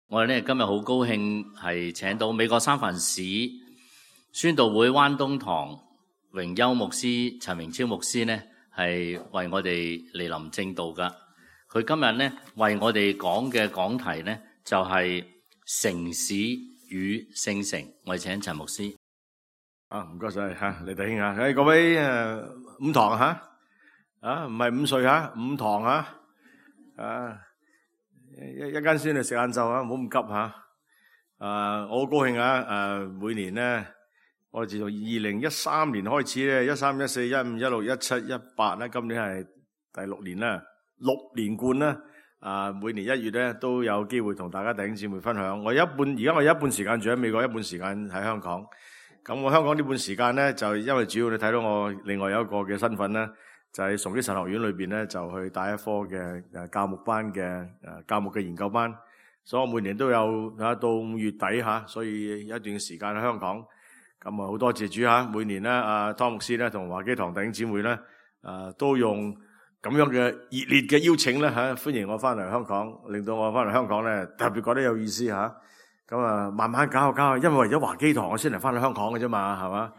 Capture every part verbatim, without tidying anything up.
我哋咧今日好高興係請到美國三藩市宣道會灣東堂榮休牧師陳榮超牧師呢係為我哋嚟臨證道噶。佢今日呢為我哋講嘅講題呢就係城市與聖城。我哋請陳牧師。啊，唔該晒吓，李弟兄啊，誒各位誒五堂吓，啊唔係五歲吓，五堂吓，啊。一一間先嚟食晏晝啊，唔好咁急吓。啊，我好高興啊！誒，每年咧，我哋自從二零一三年開始咧，一三、一四、一五、一六、一七、一八咧，今年係第六年啦，六連冠啦。啊，每年一月咧都有機會同大家弟兄姊妹分享。我一半而家我有一半時間住喺美國，一半時間喺香港。咁我香港呢半時間咧，就因為主要你睇到我另外有一個嘅身份咧。就喺崇基神學院裏邊咧，就去帶一科嘅誒教牧班嘅誒教牧嘅研究班，所以我每年都有啊到五月底吓，所以一段時間喺香港，咁啊好多謝主吓，每年咧阿湯牧師咧同華基堂弟兄姊妹咧誒都用咁樣嘅熱烈嘅邀請咧吓，歡迎我翻嚟香港，令到我翻嚟香港咧特別覺得有意思吓，咁啊慢慢搞下搞下，因為為咗華基堂我先嚟翻嚟香港嘅啫嘛，係嘛？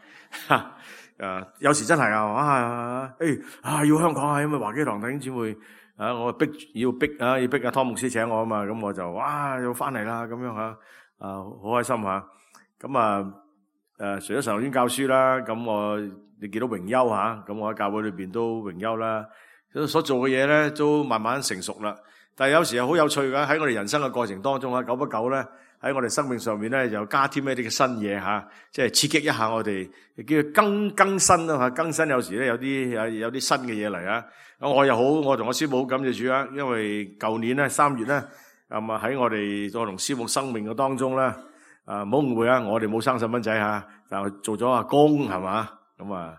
誒、啊，有時真係啊，啊，誒，啊，要香港啊，因為華基堂弟兄姊妹啊，我逼要逼啊，要逼阿湯牧師請我啊嘛，咁我就哇，要翻嚟啦，咁樣吓，啊，好開心吓，咁啊，誒、啊，除咗神學院教書啦，咁我你見到榮休吓，咁我喺教會裏邊都榮休啦，所做嘅嘢咧都慢慢成熟啦，但係有時係好有趣噶，喺我哋人生嘅過程當中啊，久不久咧。喺我哋生命上面咧，又加添一啲嘅新嘢吓，即係刺激一下我哋，叫更更新啦吓，更新有時咧有啲有有啲新嘅嘢嚟啊！我又好，我同我師母好感謝主啊，因為舊年咧三月咧，咁啊喺我哋我同師母生命嘅當中咧，啊唔好誤會啊，我哋冇生細蚊仔吓，就做咗阿公係嘛，咁啊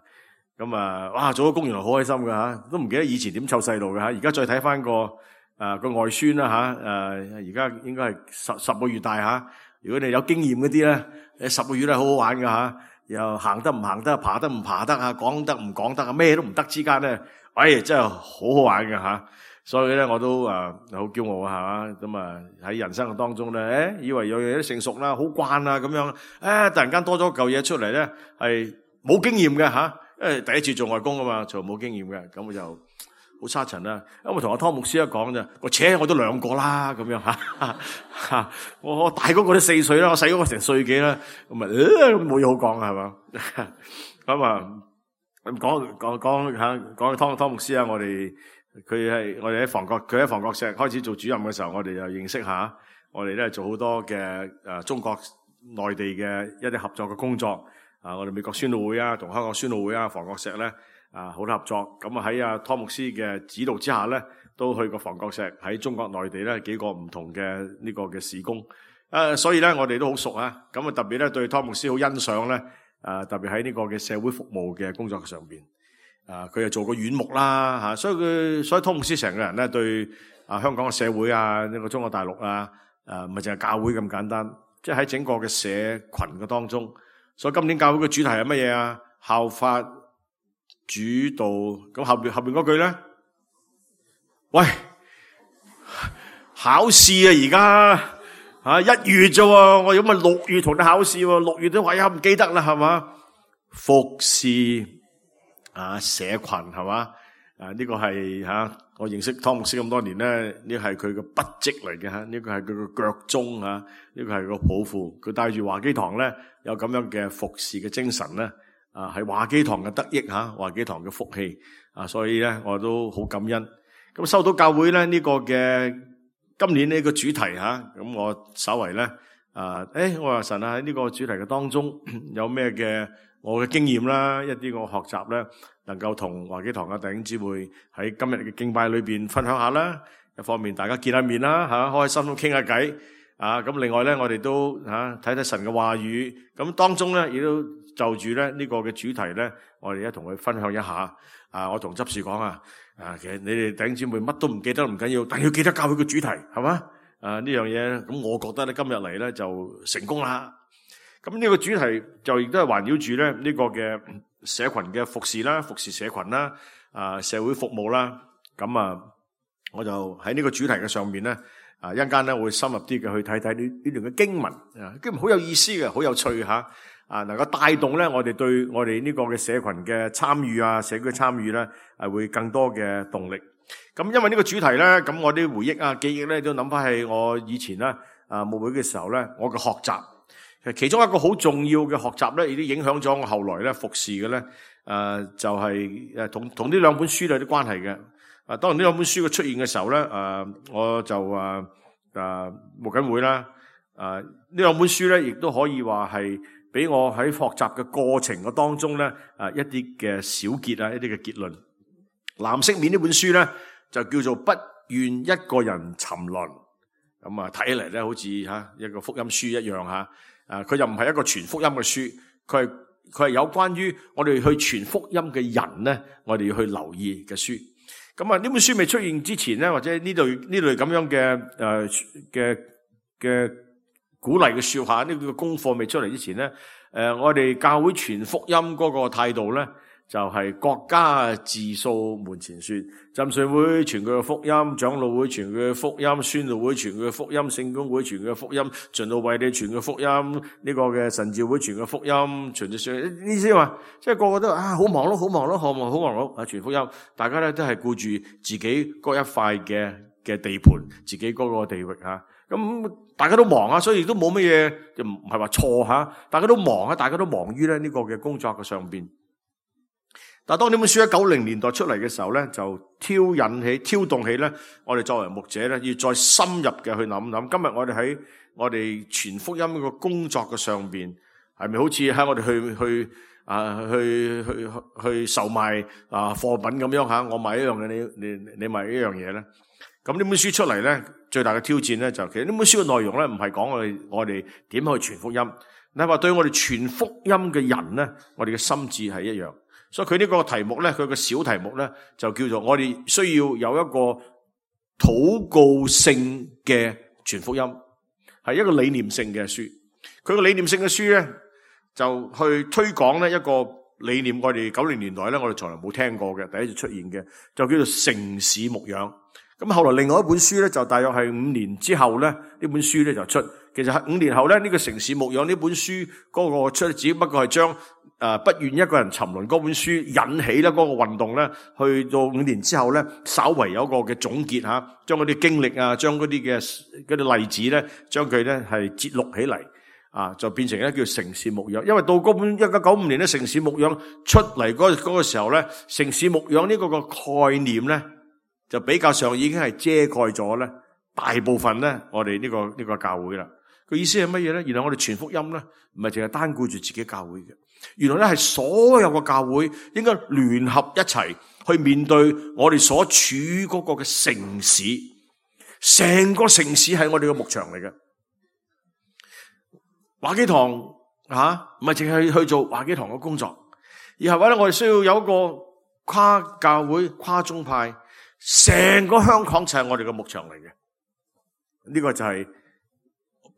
咁啊，哇做咗公原來好開心噶吓，都唔記得以前點湊細路嘅吓，而家再睇翻個。啊個外孫啦吓，誒而家應該係十十個月大吓。如果你有經驗嗰啲咧，誒十個月都係好好玩噶吓，又行得唔行得，爬得唔爬得啊，講得唔講得啊，咩都唔得之間咧，哎真係好好玩噶吓。所以咧我都啊好驕傲啊吓，咁啊喺人生嘅當中咧，誒以為有樣嘢成熟啦，好慣啦咁樣，誒突然間多咗嚿嘢出嚟咧，係冇經驗嘅吓，因為第一次做外公啊嘛，從冇經驗嘅，咁我就。好沙塵啦，因為同阿湯牧師一講咋，我扯我都兩個啦，咁樣吓吓，我我大嗰個都四歲啦，我細嗰個成歲幾啦，咁啊冇嘢好講啊，係嘛，咁啊咁講講講吓，講湯湯牧師啊，我哋佢係我哋喺房角，佢喺房角石開始做主任嘅時候，我哋又認識下，我哋咧做好多嘅誒中國內地嘅一啲合作嘅工作啊，我哋美國宣道會啊，同香港宣道會啊，房角石咧。啊，好多合作，咁啊喺阿湯牧師嘅指導之下咧，都去過房角石喺中國內地咧幾個唔同嘅呢個嘅事工，啊，所以咧我哋都好熟啊，咁啊特別咧對湯牧師好欣賞咧，啊特別喺呢個嘅社會服務嘅工作上邊，啊佢又做過院牧啦吓，所以佢所以湯牧師成個人咧對啊香港嘅社會啊呢個中國大陸啊，誒唔係淨係教會咁簡單，即係喺整個嘅社群嘅當中，所以今年教會嘅主題係乜嘢啊？效法主導，咁後邊後邊嗰句咧，喂，考試啊而家啊一月啫，我有咪六月同你考試喎，六月都話呀唔記得啦係嘛？服侍啊社群係嘛？啊呢個係吓我認識湯牧師咁多年咧，呢係佢嘅筆跡嚟嘅吓，呢個係佢嘅腳蹤吓，呢個係個抱負，佢帶住華基堂咧有咁樣嘅服侍嘅精神咧。啊，係華基堂嘅得益吓，華基堂嘅福氣啊，所以咧我都好感恩。咁收到教會咧呢個嘅今年呢個主題吓，咁我稍為咧啊，誒，我話神啊喺呢個主題嘅當中有咩嘅我嘅經驗啦，一啲我學習咧，能夠同華基堂嘅弟兄姊妹喺今日嘅敬拜裏邊分享下啦。一方面大家見下面啦吓，開心都傾下偈啊。咁另外咧我哋都吓睇睇神嘅話語，咁當中咧亦都。就住咧呢個嘅主題咧，我哋一同佢分享一下。啊，我同執事講啊，啊，其實你哋弟兄姊妹乜都唔記得唔緊要，但要記得教會嘅主題，係嘛？啊呢樣嘢，咁我覺得咧今日嚟咧就成功啦。咁呢個主題就亦都係環繞住咧呢個嘅社群嘅服侍啦，服侍社群啦，啊社會服務啦。咁啊，我就喺呢個主題嘅上面咧，啊，一陣間咧會深入啲嘅去睇睇呢呢段嘅經文啊，經文好有意思嘅，好有趣吓啊，能夠帶動咧我哋對我哋呢個嘅社群嘅參與啊，社區嘅參與咧係會更多嘅動力。咁因為呢個主題咧，咁我啲回憶啊、記憶咧都諗翻係我以前咧啊牧會嘅時候咧，我嘅學習。其中一個好重要嘅學習咧，亦都影響咗我後來咧服侍嘅咧，誒就係誒同同呢兩本書有啲關係嘅。啊，當然呢兩本書嘅出現嘅時候咧，誒我就誒誒牧緊會啦。誒呢兩本書咧，亦都可以話係俾我喺學習嘅過程嘅當中咧，誒一啲嘅小結啊，一啲嘅結論。藍色面呢本書咧，就叫做不願一個人沉淪。咁啊，睇起嚟咧好似吓一個福音書一樣吓。啊！佢又唔係一個傳福音嘅書，佢係佢係有關於我哋去傳福音嘅人咧，我哋要去留意嘅書。咁啊，呢本書未出現之前咧，或者呢類呢類咁樣嘅誒嘅嘅鼓勵嘅說話，呢個功課未出嚟之前咧，誒我哋教會傳福音嗰個態度咧，就係國家自掃門前雪，浸信會傳佢嘅福音，長老會傳佢嘅福音，宣道會傳佢嘅福音，聖公會傳佢嘅福音，循道衛理傳佢嘅福音，呢個嘅神召會傳佢嘅福音，傳住上呢啲話，即係個個都啊好忙碌，好忙碌，好忙好忙碌啊傳福音，大家咧都係顧住自己嗰一塊嘅嘅地盤，自己嗰個地域吓，咁大家都忙啊，所以亦都冇乜嘢，就唔係話錯吓，大家都忙啊，大家都忙於咧呢個嘅工作嘅上邊。但係當呢本書喺九零年代出嚟嘅時候咧，就挑引起、挑動起咧，我哋作為牧者咧，要再深入嘅去諗諗。今日我哋喺我哋傳福音嘅工作嘅上邊，係咪好似喺我哋去去啊去去去去售賣啊貨品咁樣吓？我賣一樣嘅，你你你賣一樣嘢咧？咁呢本書出嚟咧，最大嘅挑戰咧，就其實呢本書嘅內容咧，唔係講我哋我哋點去傳福音，你係話對我哋傳福音嘅人咧，我哋嘅心志係一樣。所以佢呢個題目咧，佢個小題目咧，就叫做我哋需要有一個禱告性嘅傳福音，係一個理念性嘅書。佢個理念性嘅書咧，就去推廣咧一個理念。我哋九零年代咧，我哋從來冇聽過嘅，第一次出現嘅，就叫做城市牧養。咁後來另外一本書咧，就大約係五年之後咧，呢本書咧就出。其實係五年後咧，呢個城市牧養呢本書嗰個出，只不過係將誒不願一個人沉淪嗰本書引起咧嗰個運動咧，去到五年之後咧，稍為有一個嘅總結吓，將嗰啲經歷啊，將嗰啲嘅嗰啲例子咧，將佢咧係節錄起嚟啊，就變成咧叫城市牧養。因為到嗰本一九九五年咧，城市牧養出嚟嗰嗰個時候咧，城市牧養呢個個概念咧，就比較上已經係遮蓋咗咧大部分咧我哋呢個呢個教會啦。個意思係乜嘢咧？原來我哋傳福音咧，唔係淨係單顧住自己教會嘅，原來咧係所有個教會應該聯合一齊去面對我哋所處嗰個嘅城市，成個城市係我哋嘅牧場嚟嘅。華基堂吓，唔係淨係去做華基堂嘅工作，而係話咧我哋需要有一個跨教會、跨宗派，成個香港就係我哋嘅牧場嚟嘅。呢、這個就係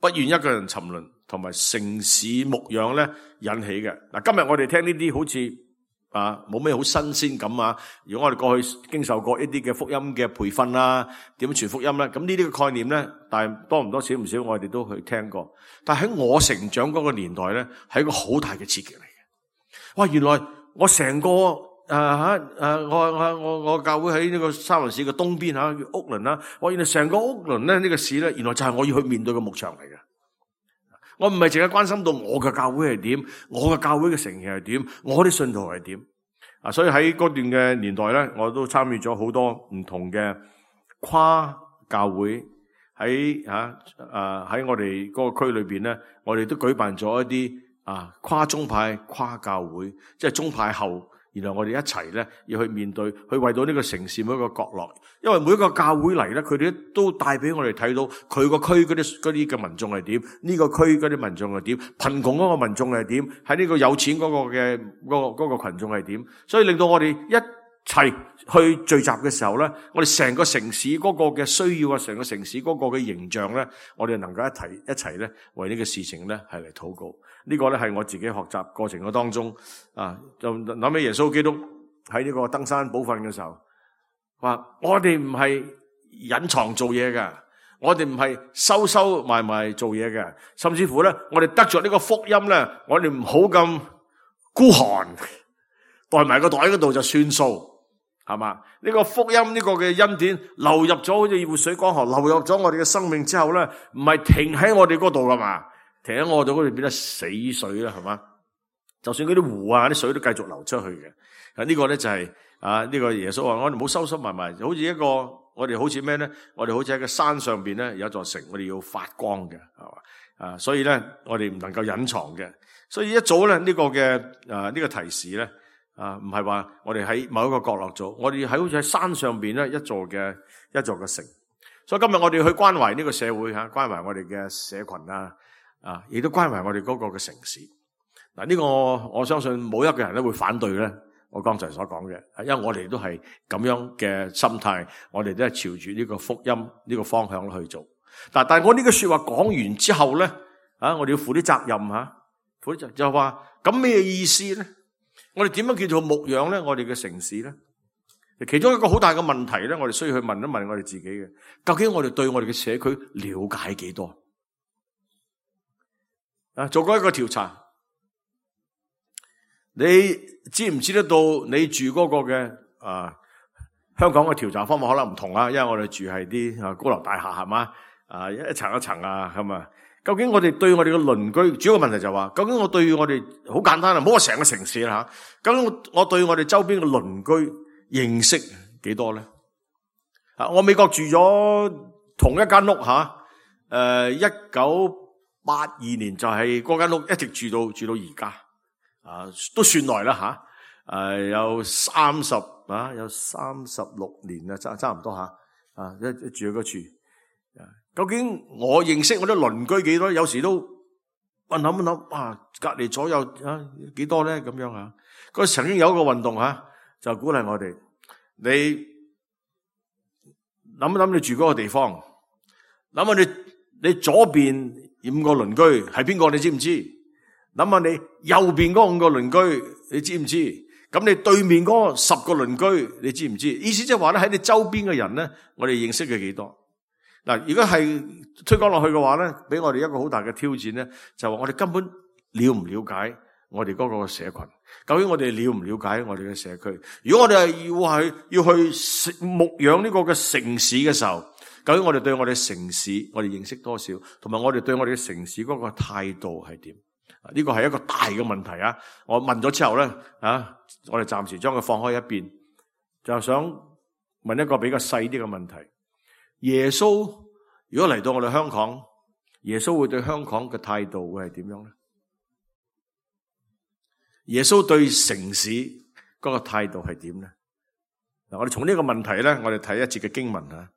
不願一個人沉淪同埋城市牧養咧引起嘅。嗱，今日我哋聽呢啲好似啊冇咩好新鮮感啊。如果我哋過去經受過一啲嘅福音嘅培訓啦，點樣傳福音咧，咁呢啲嘅概念咧，但係多唔多少唔少，我哋都去聽過。但係喺我成長嗰個年代咧，係一個好大嘅刺激嚟嘅。哇！原來我成個誒吓誒，我我我我教會喺呢個三藩市嘅東邊吓，叫屋崙啦。我原來成個屋崙咧呢個市咧，原來就係我要去面對嘅牧場嚟嘅。我唔係淨係關心到我嘅教會係點，我嘅教會嘅成員係點，我啲信徒係點啊。所以喺嗰段嘅年代咧，我都參與咗好多唔同嘅跨教會喺吓誒喺我哋嗰個區裏邊咧，我哋都舉辦咗一啲啊跨宗派、跨教會，即係宗派後。然後我哋一齊咧要去面對，去為到呢個城市每一個角落，因為每一個教會嚟咧，佢哋都帶俾我哋睇到佢個區嗰啲嗰啲嘅民眾係點，呢個區嗰啲民眾係點，貧窮嗰個民眾係點，喺呢個有錢嗰個嘅嗰個嗰個群眾係點，所以令到我哋一齊去聚集嘅時候咧，我哋成個城市嗰個嘅需要啊，成個城市嗰個嘅形象咧，我哋能夠一齊一齊咧為呢個事情咧係嚟禱告。呢個咧係我自己學習過程嘅當中啊，就諗起耶穌基督喺呢個登山寶訓嘅時候，話我哋唔係隱藏做嘢㗎，我哋唔係收收埋埋做嘢嘅，甚至乎咧，我哋得着呢個福音咧，我哋唔好咁孤寒，袋埋個袋嗰度就算數，係嘛？呢個福音呢個嘅恩典流入咗好似活水江河，流入咗我哋嘅生命之後咧，唔係停喺我哋嗰度噶嘛，停喺我哋嗰度變得死水啦，係嘛？就算嗰啲湖啊啲水都繼續流出去嘅。啊，呢個咧就係啊呢個耶穌話我哋唔好收收埋埋，好似一個我哋好似咩咧？我哋好似喺個山上邊咧有一座城，我哋要發光嘅，係嘛？啊，所以咧我哋唔能夠隱藏嘅。所以一早咧呢個嘅啊呢個提示咧啊唔係話我哋喺某一個角落做，我哋喺好似喺山上邊咧一座嘅一座嘅城。所以今日我哋去關懷呢個社會吓，關懷我哋嘅社群啊啊，亦都關懷我哋嗰個嘅城市。嗱，呢個我相信冇一個人咧會反對咧。我剛才所講嘅，因為我哋都係咁樣嘅心態，我哋都係朝住呢個福音呢個方向去做。但但係我呢個說話講完之後咧，啊，我哋要負啲責任吓，負啲責任就話咁咩意思咧？我哋點樣叫做牧養咧？我哋嘅城市咧，其中一個好大嘅問題咧，我哋需要去問一問我哋自己嘅，究竟我哋對我哋嘅社區了解幾多？啊，做過一個調查。你知唔知得到你住嗰個嘅啊香港嘅調查方法可能唔同啊，因為我哋住係啲啊高樓大廈係嘛啊一層一層啊咁啊。究竟我哋對我哋嘅鄰居，主要個問題就話，究竟我對我哋好簡單啊，唔好話成個城市啦吓。究竟我對我哋周邊嘅鄰居認識幾多咧？啊，我美國住咗同一間屋吓，誒一九八二年就係嗰間屋一直住到住到而家。啊，都算耐啦吓，誒、啊、有三十啊，有三十六年啦，差差唔多吓，啊一一住嗰處，啊，究竟我認識我啲鄰居幾多？有時都問諗諗，啊，隔籬左右啊幾多咧？咁樣啊，嗰曾經有一個運動吓、啊，就鼓勵我哋，你諗一諗你住嗰個地方，諗下你你左邊五個鄰居係邊個？你知唔知？諗下你右邊嗰五個鄰居，你知唔知？咁你對面嗰十個鄰居，你知唔知？意思即係話咧，喺你周邊嘅人咧，我哋認識嘅幾多？嗱，如果係推廣落去嘅話咧，俾我哋一個好大嘅挑戰咧，就話我哋根本了唔了解我哋嗰個社群？究竟我哋了唔了解我哋嘅社區？如果我哋係要係要去牧養呢個嘅城市嘅時候，究竟我哋對我哋城市我哋認識多少？同埋我哋對我哋嘅城市嗰個態度係點？呢個係一個大嘅問題啊！我問咗之後咧，啊，我哋暫時將佢放開一邊，就想問一個比較細啲嘅問題：耶穌如果嚟到我哋香港，耶穌會對香港嘅態度會係點樣咧？耶穌對城市嗰個態度係點咧？嗱，我哋從呢個問題咧，我哋睇一節嘅經文啊。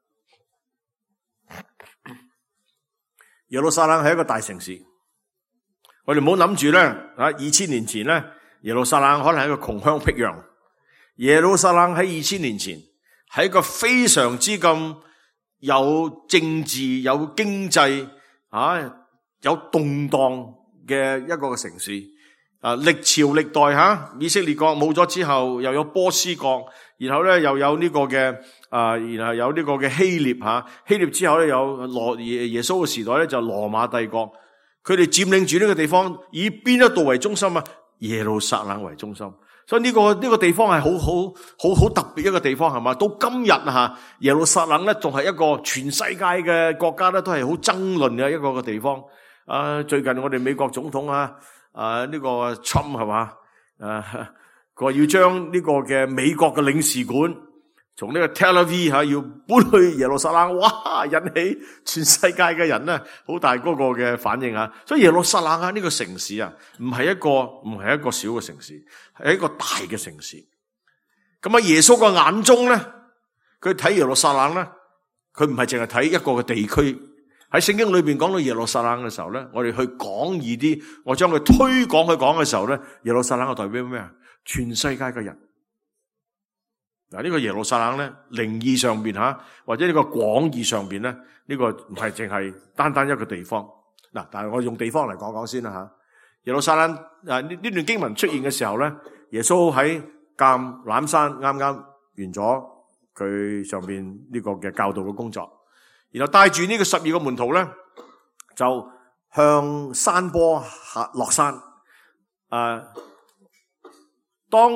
耶路撒冷係一個大城市。我哋唔好諗住咧，啊，二千年前咧，耶路撒冷可能係一個窮鄉僻壤。耶路撒冷喺二千年前係一個非常之咁有政治、有經濟啊、有動盪嘅一個嘅城市。啊，歷朝歷代吓，以色列國冇咗之後，又有波斯國，然後咧又有呢個嘅啊，然後有呢個嘅希臘吓，希臘之後咧有羅耶耶穌嘅時代咧就羅馬帝國。佢哋佔領住呢個地方，以邊一度為中心啊？耶路撒冷為中心，所以呢個呢個地方係好好好好特別一個地方，係嘛？到今日吓，耶路撒冷咧仲係一個全世界嘅國家咧都係好爭論嘅一個嘅地方。啊，最近我哋美國總統啊，啊呢個 Trump 係嘛？啊，佢話要將呢個嘅美國嘅領事館從呢個 Tel Aviv 吓要搬去耶路撒冷，哇！引起全世界嘅人咧好大嗰個嘅反應啊！所以耶路撒冷啊呢個城市啊，唔係一個唔係一個小嘅城市，係一個大嘅城市。咁喺耶穌嘅眼中咧，佢睇耶路撒冷咧，佢唔係淨係睇一個嘅地區。喺聖經裏邊講到耶路撒冷嘅時候咧，我哋去廣義啲，我將佢推廣去講嘅時候咧，耶路撒冷係代表咩啊？全世界嘅人。嗱，呢個耶路撒冷咧，靈義上邊吓，或者呢個廣義上邊咧，呢個唔係淨係單單一個地方。嗱，但係我用地方嚟講講先啦吓。耶路撒冷啊，呢呢段經文出現嘅時候咧，耶穌喺橄欖山啱啱完咗佢上邊呢個嘅教導嘅工作，然後帶住呢個十二個門徒咧，就向山坡下落山。啊，當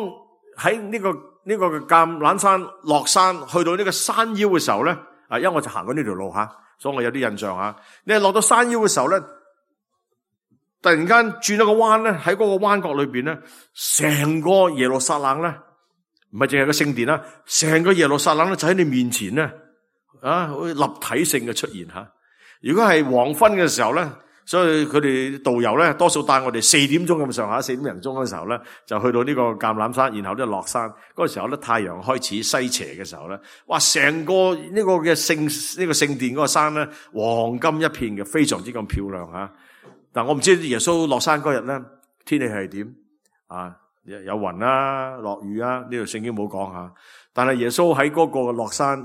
喺呢個呢個嘅橄欖山落山，去到呢個山腰嘅時候咧，啊，因為我就行過呢條路吓，所以我有啲印象吓。你係落到山腰嘅時候咧，突然間轉咗個彎咧，喺嗰個彎角裏邊咧，成個耶路撒冷咧，唔係淨係個聖殿啦，成個耶路撒冷咧就喺你面前咧，啊，好似立體性嘅出現吓。如果係黃昏嘅時候咧，所以佢哋導遊咧，多數帶我哋四點鐘咁上下，四點零鐘嘅時候咧，就去到呢個橄欖山，然後咧落山。嗰個時候咧，太陽開始西斜嘅時候咧，哇！成個呢個嘅聖呢個聖殿嗰個山咧，黃金一片嘅，非常之咁漂亮吓。但我唔知耶穌落山嗰日咧，天氣係點啊？有雲啊，落雨啊？呢度聖經冇講吓。但係耶穌喺嗰個落山，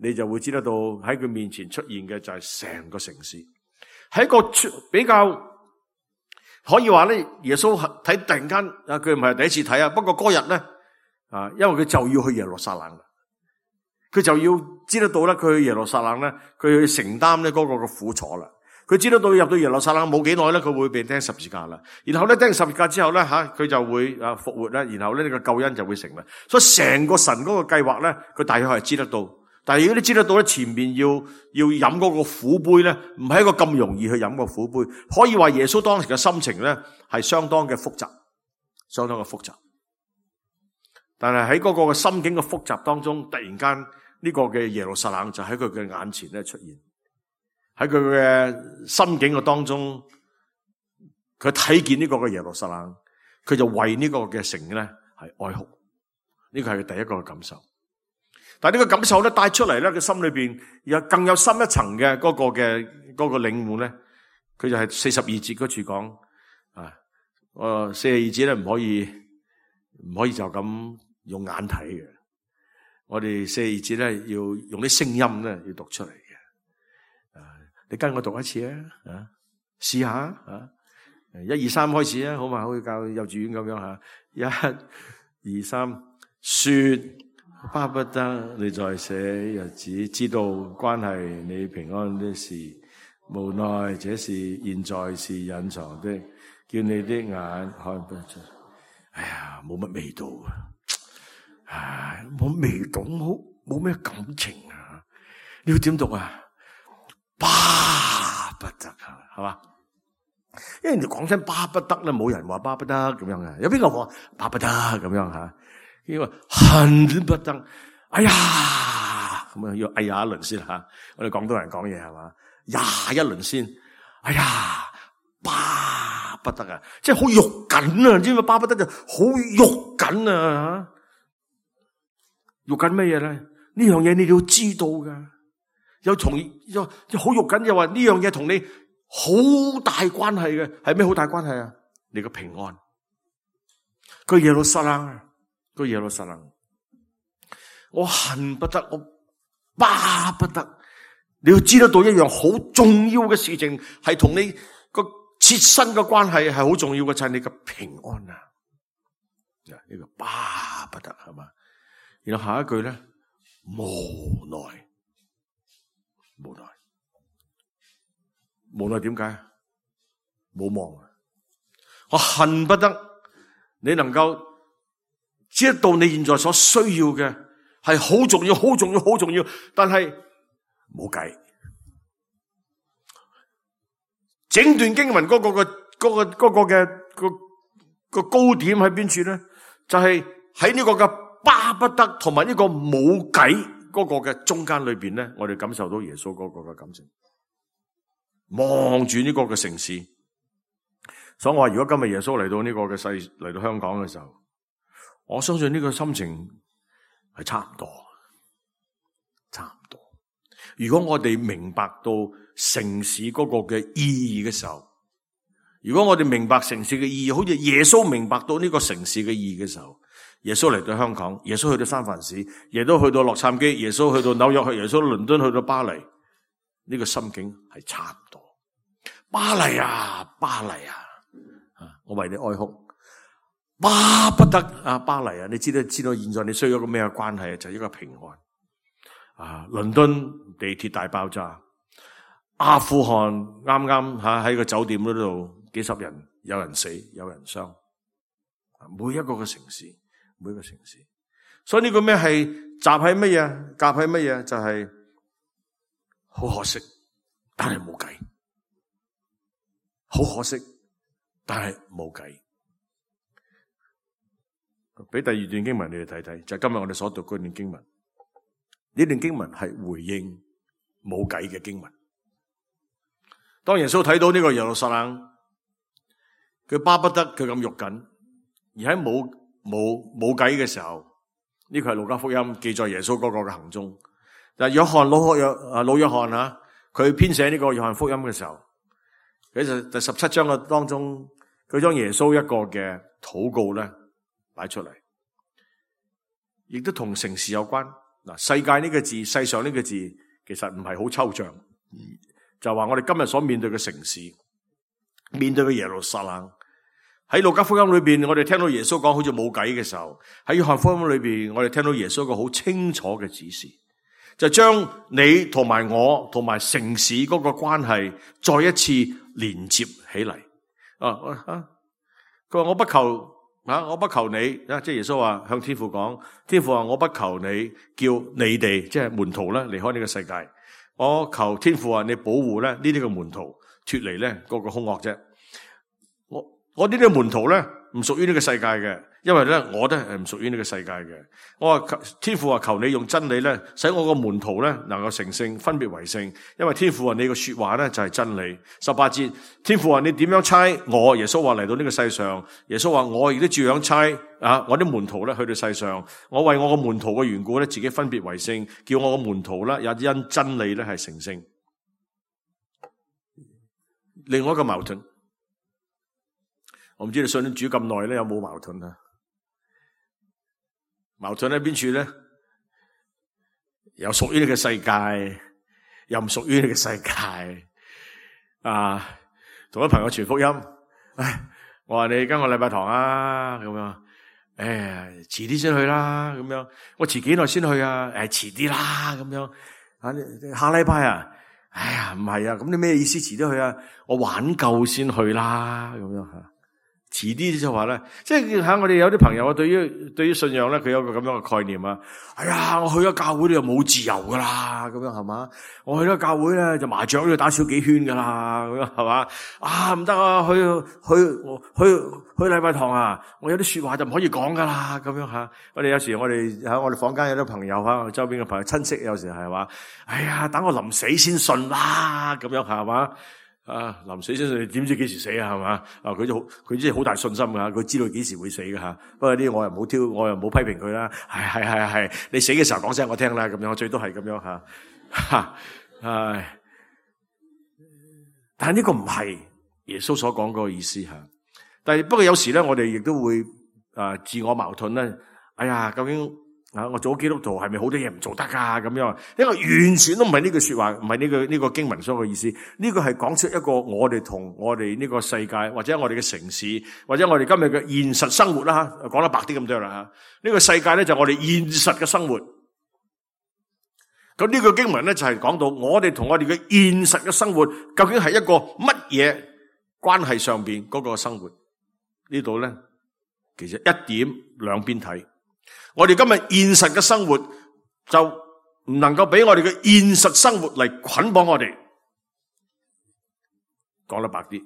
你就會知得到喺佢面前出現嘅就係成個城市。喺一個比較可以話咧，耶穌睇突然間啊，佢唔係第一次睇啊。不過嗰日咧啊，因為佢就要去耶路撒冷，佢就要知得到咧，佢去耶路撒冷咧，佢去承擔咧嗰個嘅苦楚啦。佢知得到入到耶路撒冷冇幾耐咧，佢會被釘十字架啦。然後咧釘十字架之後咧吓，佢就會啊復活啦。然後咧呢個救恩就會成啦。所以成個神嗰個計劃咧，佢大約係知得到。但係如果你知得到咧，前面要要飲嗰個苦杯咧，唔係一個咁容易去飲個苦杯。可以話耶穌當時嘅心情咧係相當嘅複雜，相當嘅複雜。但係喺嗰個嘅心境嘅複雜當中，突然間呢個嘅耶路撒冷就喺佢嘅眼前咧出現，喺佢嘅心境嘅當中，佢睇見呢個嘅耶路撒冷，佢就為呢個嘅城咧係哀哭。呢個係佢第一個嘅感受。但係呢個感受咧帶出嚟咧，佢心裏邊有更有深一層嘅嗰個嘅嗰個領悟咧，佢就係四十二節嗰處講啊，誒四十二節咧唔可以唔可以就咁用眼睇嘅，我哋四十二節咧要用啲聲音咧要讀出嚟嘅。啊，你跟我讀一次啊，啊，試下啊，一二三開始啊，好嘛？好似教幼稚園咁樣吓，一、二、三，說。巴不得你在這日子知道關係你平安的事，無奈這事現在是隱藏的，叫你的眼看不出。哎呀，冇乜味道啊！唉，冇味道，冇冇咩感情啊！你要點讀啊？巴不得啊，係嘛？因為人哋講真巴不得咧，冇人話巴不得咁樣嘅，有邊個話巴不得咁樣吓？因為恨不得，哎呀，咁啊要哎呀一輪先吓，我哋廣東人講嘢係嘛，呀一輪先，哎呀，巴不得啊，即係好肉緊啊，知唔知巴不得就好肉緊啊，肉緊乜嘢咧？呢樣嘢你要知道噶，有同有好肉緊，又話呢樣嘢同你好大關係嘅，係咩好大關係啊？你個平安，個耶路撒冷啊！個耶路撒冷，我恨不得，我巴不得，你要知得到一樣好重要嘅事情，係同你個切身嘅關係係好重要嘅，就係你嘅平安啊！呢個巴不得係嘛？然後下一句咧，無奈，無奈，無奈點解？冇望啊！我恨不得你能夠。知道你現在所需要嘅係好重要、好重要、好重要，但係冇計。整段經文嗰個嘅嗰個嗰個嘅個個高點喺邊處咧？就係喺呢個嘅巴不得同埋呢個冇計嗰個嘅中間裏邊咧，我哋感受到耶穌嗰個嘅感情，望住呢個嘅城市。所以我話，如果今日耶穌嚟到呢個嘅世嚟到香港嘅時候，我相信呢個心情係差唔多，差唔多。如果我哋明白到城市嗰個嘅意義嘅時候，如果我哋明白城市嘅意義，好似耶穌明白到呢個城市嘅意義嘅時候，耶穌嚟到香港，耶穌去到三藩市，耶穌去到洛杉磯，耶穌去到紐約，去耶穌倫敦，去到巴黎，呢個心境係差唔多。巴黎啊，巴黎啊，我為你哀哭。巴不得啊，巴黎啊！你知道知道現在你需要一個咩關係啊？就係一個平安啊！倫敦地鐵大爆炸阿富汗啱啱吓喺個酒店嗰度，幾十人，有人死，有人傷。每一個嘅城市，每一個城市，所以呢個咩係集喺乜嘢？夾喺乜嘢？就係、是、好可惜，但係冇計。好可惜，但係冇計。俾第二段經文你哋睇睇，就係、是、今日我哋所讀嗰段經文。呢段經文係回應冇計嘅經文。當耶穌睇到呢個耶路撒冷，佢巴不得佢咁肉緊。而喺冇冇冇計嘅時候，呢個係路加福音記載耶穌嗰個嘅行蹤。但係約翰老約啊老約翰啊，佢編寫呢個約翰福音嘅時候，佢就第十七章嘅當中，佢將耶穌一個嘅禱告咧擺出嚟，亦都同城市有關。嗱，世界呢個字，世上呢個字，其實唔係好抽象，就話我哋今日所面對嘅城市，面對嘅耶路撒冷。喺路加福音裏邊，我哋聽到耶穌講好似冇計嘅時候，喺約翰福音裏邊，我哋聽到耶穌一個好清楚嘅指示，就將你同埋我同埋城市嗰個關係再一次連接起嚟。啊啊！佢話我不求啊，我不求你啊，即係耶穌話向天父講，天父話我不求你叫你哋即係門徒咧離開呢個世界，我求天父話你保護咧呢啲嘅門徒脫離咧嗰個兇惡啫。我我呢啲門徒咧唔屬於呢個世界嘅，因為咧我都係唔屬於呢個世界嘅。我話天父話求你用真理咧，使我個門徒咧能夠成聖，分別為聖。因為天父話你個說話咧就係真理。十八節，天父話你點樣差我？耶穌話嚟到呢個世上，耶穌話我亦都照樣差啊！我啲門徒咧去到世上，我為我個門徒嘅緣故咧自己分別為聖，叫我個門徒咧也因真理咧係成聖。另外一個矛盾。我唔知你信主咁耐咧，有冇矛盾啊？矛盾喺邊處咧？又屬於呢個世界，又唔屬於呢個世界。啊，同啲朋友傳福音，唉，我話你跟我禮拜堂啊，咁樣，誒，遲啲先去啦，咁樣，我遲幾耐先去啊？誒，遲啲啦，咁樣，啊，下禮拜啊，哎呀，唔係啊，咁你咩意思？遲啲去啊？我玩夠先去啦，咁樣吓。遲啲就話咧，即係吓我哋有啲朋友啊，對於對於信仰咧，佢有個咁樣嘅概念啊。哎呀，我去咗教會咧就冇自由噶啦，咁樣係嘛？我去咗教會咧就麻雀都要打少幾圈噶啦，咁樣係嘛？啊唔得啊，去去去去禮拜堂啊，我有啲說話就唔可以講噶啦，咁樣吓。我哋有時我哋喺我哋房間有啲朋友吓，周邊嘅朋友親戚有時係話，哎呀，等我臨死先信啦，咁樣係嘛？啊！臨死先信，你點知幾時死啊？係嘛？啊！佢就好，佢真係好大信心噶，佢知道幾時會死噶吓。不過啲我又唔好挑，我又唔好批評佢啦。係係係係，你死嘅時候講聲我聽啦，咁樣我最多係咁樣吓。吓，唉！但係呢個唔係耶穌所講嗰個意思吓。但係不過有時咧，我哋亦都會啊自我矛盾咧。哎呀，究竟？啊！我做基督徒係咪好多嘢唔做得噶咁樣？因為完全都唔係呢句說話，唔係呢個呢個經文所嘅意思。呢個係講出一個我哋同我哋呢個世界，或者我哋嘅城市，或者我哋今日嘅現實生活啦吓，講得白啲咁多啦吓。呢個世界咧就係我哋現實嘅生活。咁呢個經文咧就係講到我哋同我哋嘅現實嘅生活，究竟係一個乜嘢關係上邊嗰個生活？呢度咧其實一點兩邊睇。我哋今日現實嘅生活就唔能夠俾我哋嘅現實生活嚟捆綁我哋。講得白啲，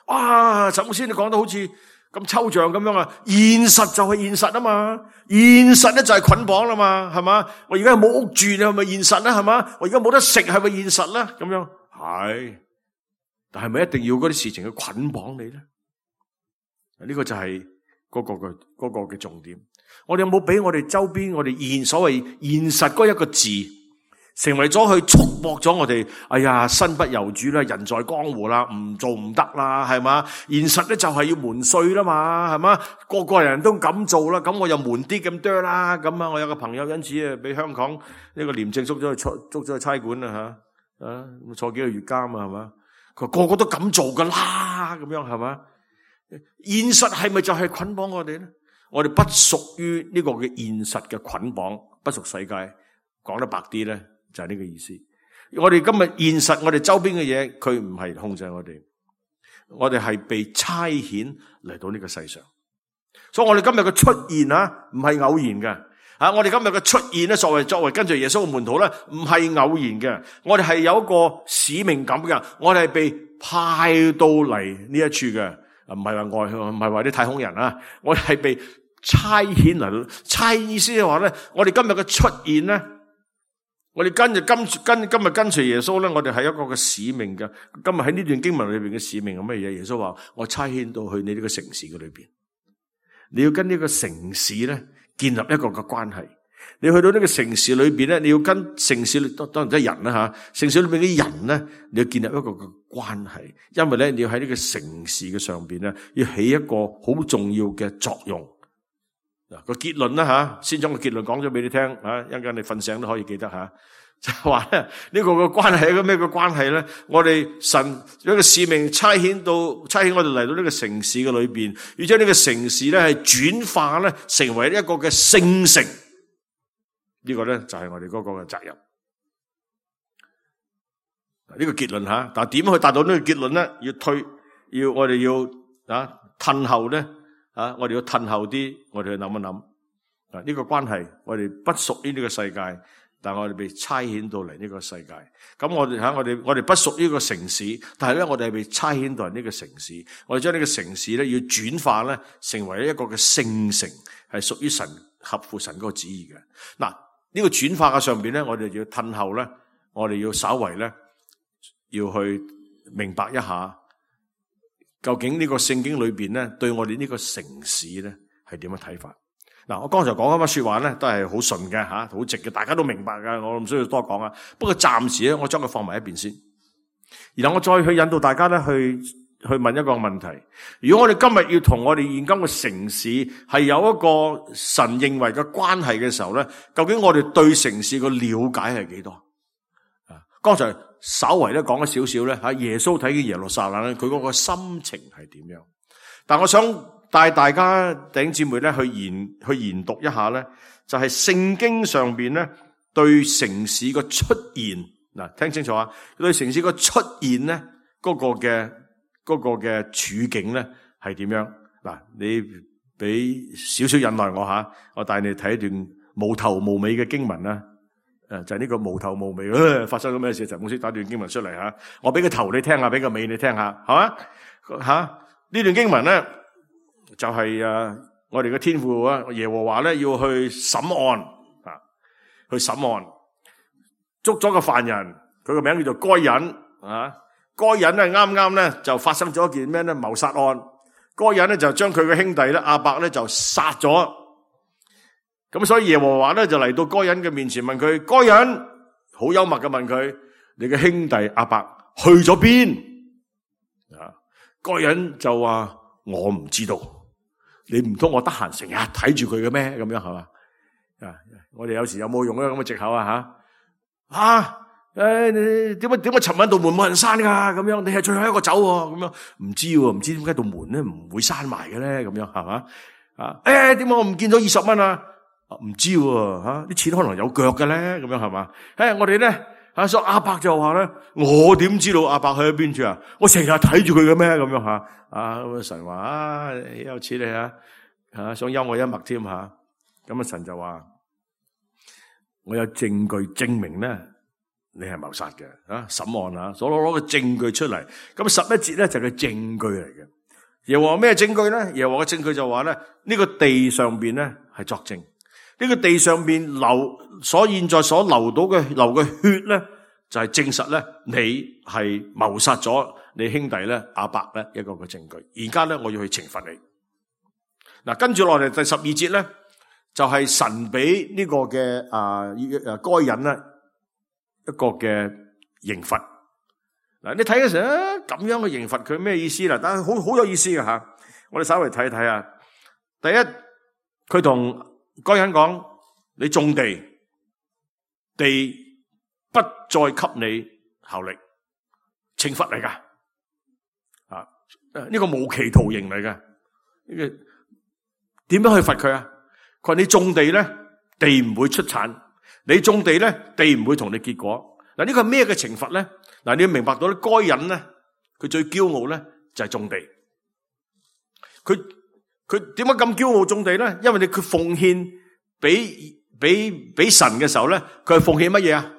哇！陳牧師你講得好似咁抽象咁樣啊！現實就係現實啊嘛，現實咧就係捆綁啦嘛，係嘛？我而家冇屋住，你係咪現實咧？係嘛？我而家冇得食，係咪現實咧？咁樣係，但係咪一定要嗰啲事情去捆綁你咧？呢個就係嗰個嘅嗰個嘅重點。我哋有冇俾我哋周邊我哋現所謂現實嗰一個字，成為咗去束縛咗我哋？哎呀，身不由主啦，人在江湖啦，唔做唔得啦，係嘛？現實咧就係要瞞稅啦嘛，係嘛？個個人都咁做啦，咁我又瞞啲咁多啦，咁啊，我有個朋友因此啊，俾香港呢個廉政捉咗去捉捉咗去差館啦吓，啊，坐幾個月監啊，係嘛？佢個個都咁做噶啦，咁樣係嘛？現實係咪就係捆綁我哋咧？我哋不屬於呢個嘅現實嘅捆綁，不屬世界。講得白啲咧，就係呢個意思。我哋今日現實，我哋周邊嘅嘢，佢唔係控制我哋，我哋係被差遣嚟到呢個世上。所以我哋今日嘅出現啊，唔係偶然嘅。啊，我哋今日嘅出現咧，作為作為跟住耶穌嘅門徒咧，唔係偶然嘅。我哋係有一個使命感嘅，我哋係被派到嚟呢一處嘅，唔係話外，唔係話啲太空人啊，我哋係被差遣嚟。差意思係話咧，我哋今日嘅出現咧，我哋跟住跟跟今日跟隨耶穌咧，我哋係一個嘅使命嘅。今日喺呢段經文裏邊嘅使命係乜嘢？耶穌話：我差遣到去你呢個城市嘅裏邊，你要跟呢個城市咧建立一個嘅關係。你去到呢個城市裏邊咧，你要跟城市當當然即係人啦吓，城市裏邊啲人咧，你要建立一個嘅關係，因為咧你要喺呢個城市嘅上邊咧，要起一個好重要嘅作用。嗱個結論啦吓，先將個結論講咗俾你聽啊，一陣間你瞓醒都可以記得吓。就係話咧，呢個嘅關係係一個咩嘅關係咧？我哋神有一個使命差遣到差遣我哋嚟到呢個城市嘅裏邊，要將呢個城市咧係轉化咧成為一個嘅聖城。呢個咧就係我哋嗰個嘅責任。呢個結論吓，但係點去達到呢個結論咧？要推，要我哋要啊褪後咧啊，我哋要褪後啲，我哋去諗一諗啊呢個關係，我哋不屬於呢個世界。但係我哋被差遣到嚟呢個世界，咁我哋喺我哋我哋不屬於呢個城市，但係咧我哋係被差遣到嚟呢個城市，我哋將呢個城市咧要轉化咧成為一個嘅聖城，係屬於神合乎神嗰個旨意嘅。嗱呢個轉化嘅上邊咧，我哋要褪後咧，我哋要稍為咧要去明白一下，究竟呢個聖經裏邊咧對我哋呢個城市咧係點樣睇法？嗱，我剛才講嗰番說話咧，都係好順嘅吓，好直嘅，大家都明白㗎，我唔需要多講啊。不過暫時咧，我將佢放埋一邊先，然後我再去引導大家咧去去問一個問題：如果我哋今日要同我哋現今嘅城市係有一個神認為嘅關係嘅時候咧，究竟我哋對城市嘅了解係幾多？啊，剛才稍微咧講咗少少咧吓，耶穌睇見耶路撒冷咧，佢嗰個心情係點樣？但我想帶大家弟兄姊妹咧去研去研讀一下咧，就係聖經上邊咧對城市嘅出現，嗱聽清楚啊，對城市嘅出現咧嗰個嘅嗰個嘅處境咧係點樣？嗱，你俾少少忍耐我吓，我帶你睇一段無頭無尾嘅經文啦。誒，就係呢個無頭無尾，誒，發生咗咩事？陳牧師打段經文出嚟吓，我俾個頭你聽下，俾個尾你聽下，係嘛？吓呢段經文咧。就係誒，我哋嘅天父啊，耶和華咧要去審案啊，去審案，捉咗個犯人，佢個名叫做該隱啊。該隱咧啱啱咧就發生咗一件咩咧謀殺案，該隱咧就將佢嘅兄弟咧亞伯咧就殺咗。咁所以耶和華咧就嚟到該隱嘅面前問佢，該隱好幽默嘅問佢：你嘅兄弟亞伯去咗邊？啊，該隱就話我唔知道。你唔通我得閒成日睇住佢嘅咩？咁樣係嘛？啊！我哋有時有冇用呢咁嘅藉口啊？吓啊！誒，你點解點解尋晚道門冇人閂噶？咁樣你係最後一個走喎？咁樣唔知喎，唔知點解道門咧唔會閂埋嘅咧？咁樣係嘛？啊！誒，點解我唔見咗二十蚊啊？唔知喎，吓啲錢可能有腳嘅咧？咁樣係嘛？誒，我哋咧啊，所以阿伯就話咧，我點知道阿伯去咗邊處啊？我成日睇住佢嘅咩？咁樣吓。啊！神話啊，有似你啊，啊想幽我一默添吓。咁啊，神就話：我有證據證明咧，你係謀殺嘅啊！審案啊，所攞攞個證據出嚟。咁十一節咧就係個證據嚟嘅。耶和華咩證據咧？耶和華嘅證據就話咧，呢個地上邊咧係作證。呢個地上邊流所現在所流到嘅流嘅血咧，就係證實咧你係謀殺咗你兄弟咧亞伯咧一個嘅證據。而家咧我要去懲罰你。嗱，跟住落嚟第十二節咧，就係神俾呢個嘅啊誒該隱咧一個嘅刑罰。嗱，你睇嘅時候咁樣嘅刑罰佢咩意思啦？但係好好有意思嘅吓，我哋稍微睇睇啊。第一，佢同該隱講：你種地，地不再給你效力，懲罰嚟噶。啊，呢個無期徒刑嚟嘅。呢個點樣去罰佢啊？佢話你種地咧，地唔會出產；你種地咧，地唔會同你結果。嗱，呢個係咩嘅懲罰咧？嗱，你要明白到咧，該隱咧，佢最驕傲咧就係種地。佢佢點解咁驕傲種地咧？因為你佢奉獻俾俾俾神嘅時候咧，佢係奉獻乜嘢啊？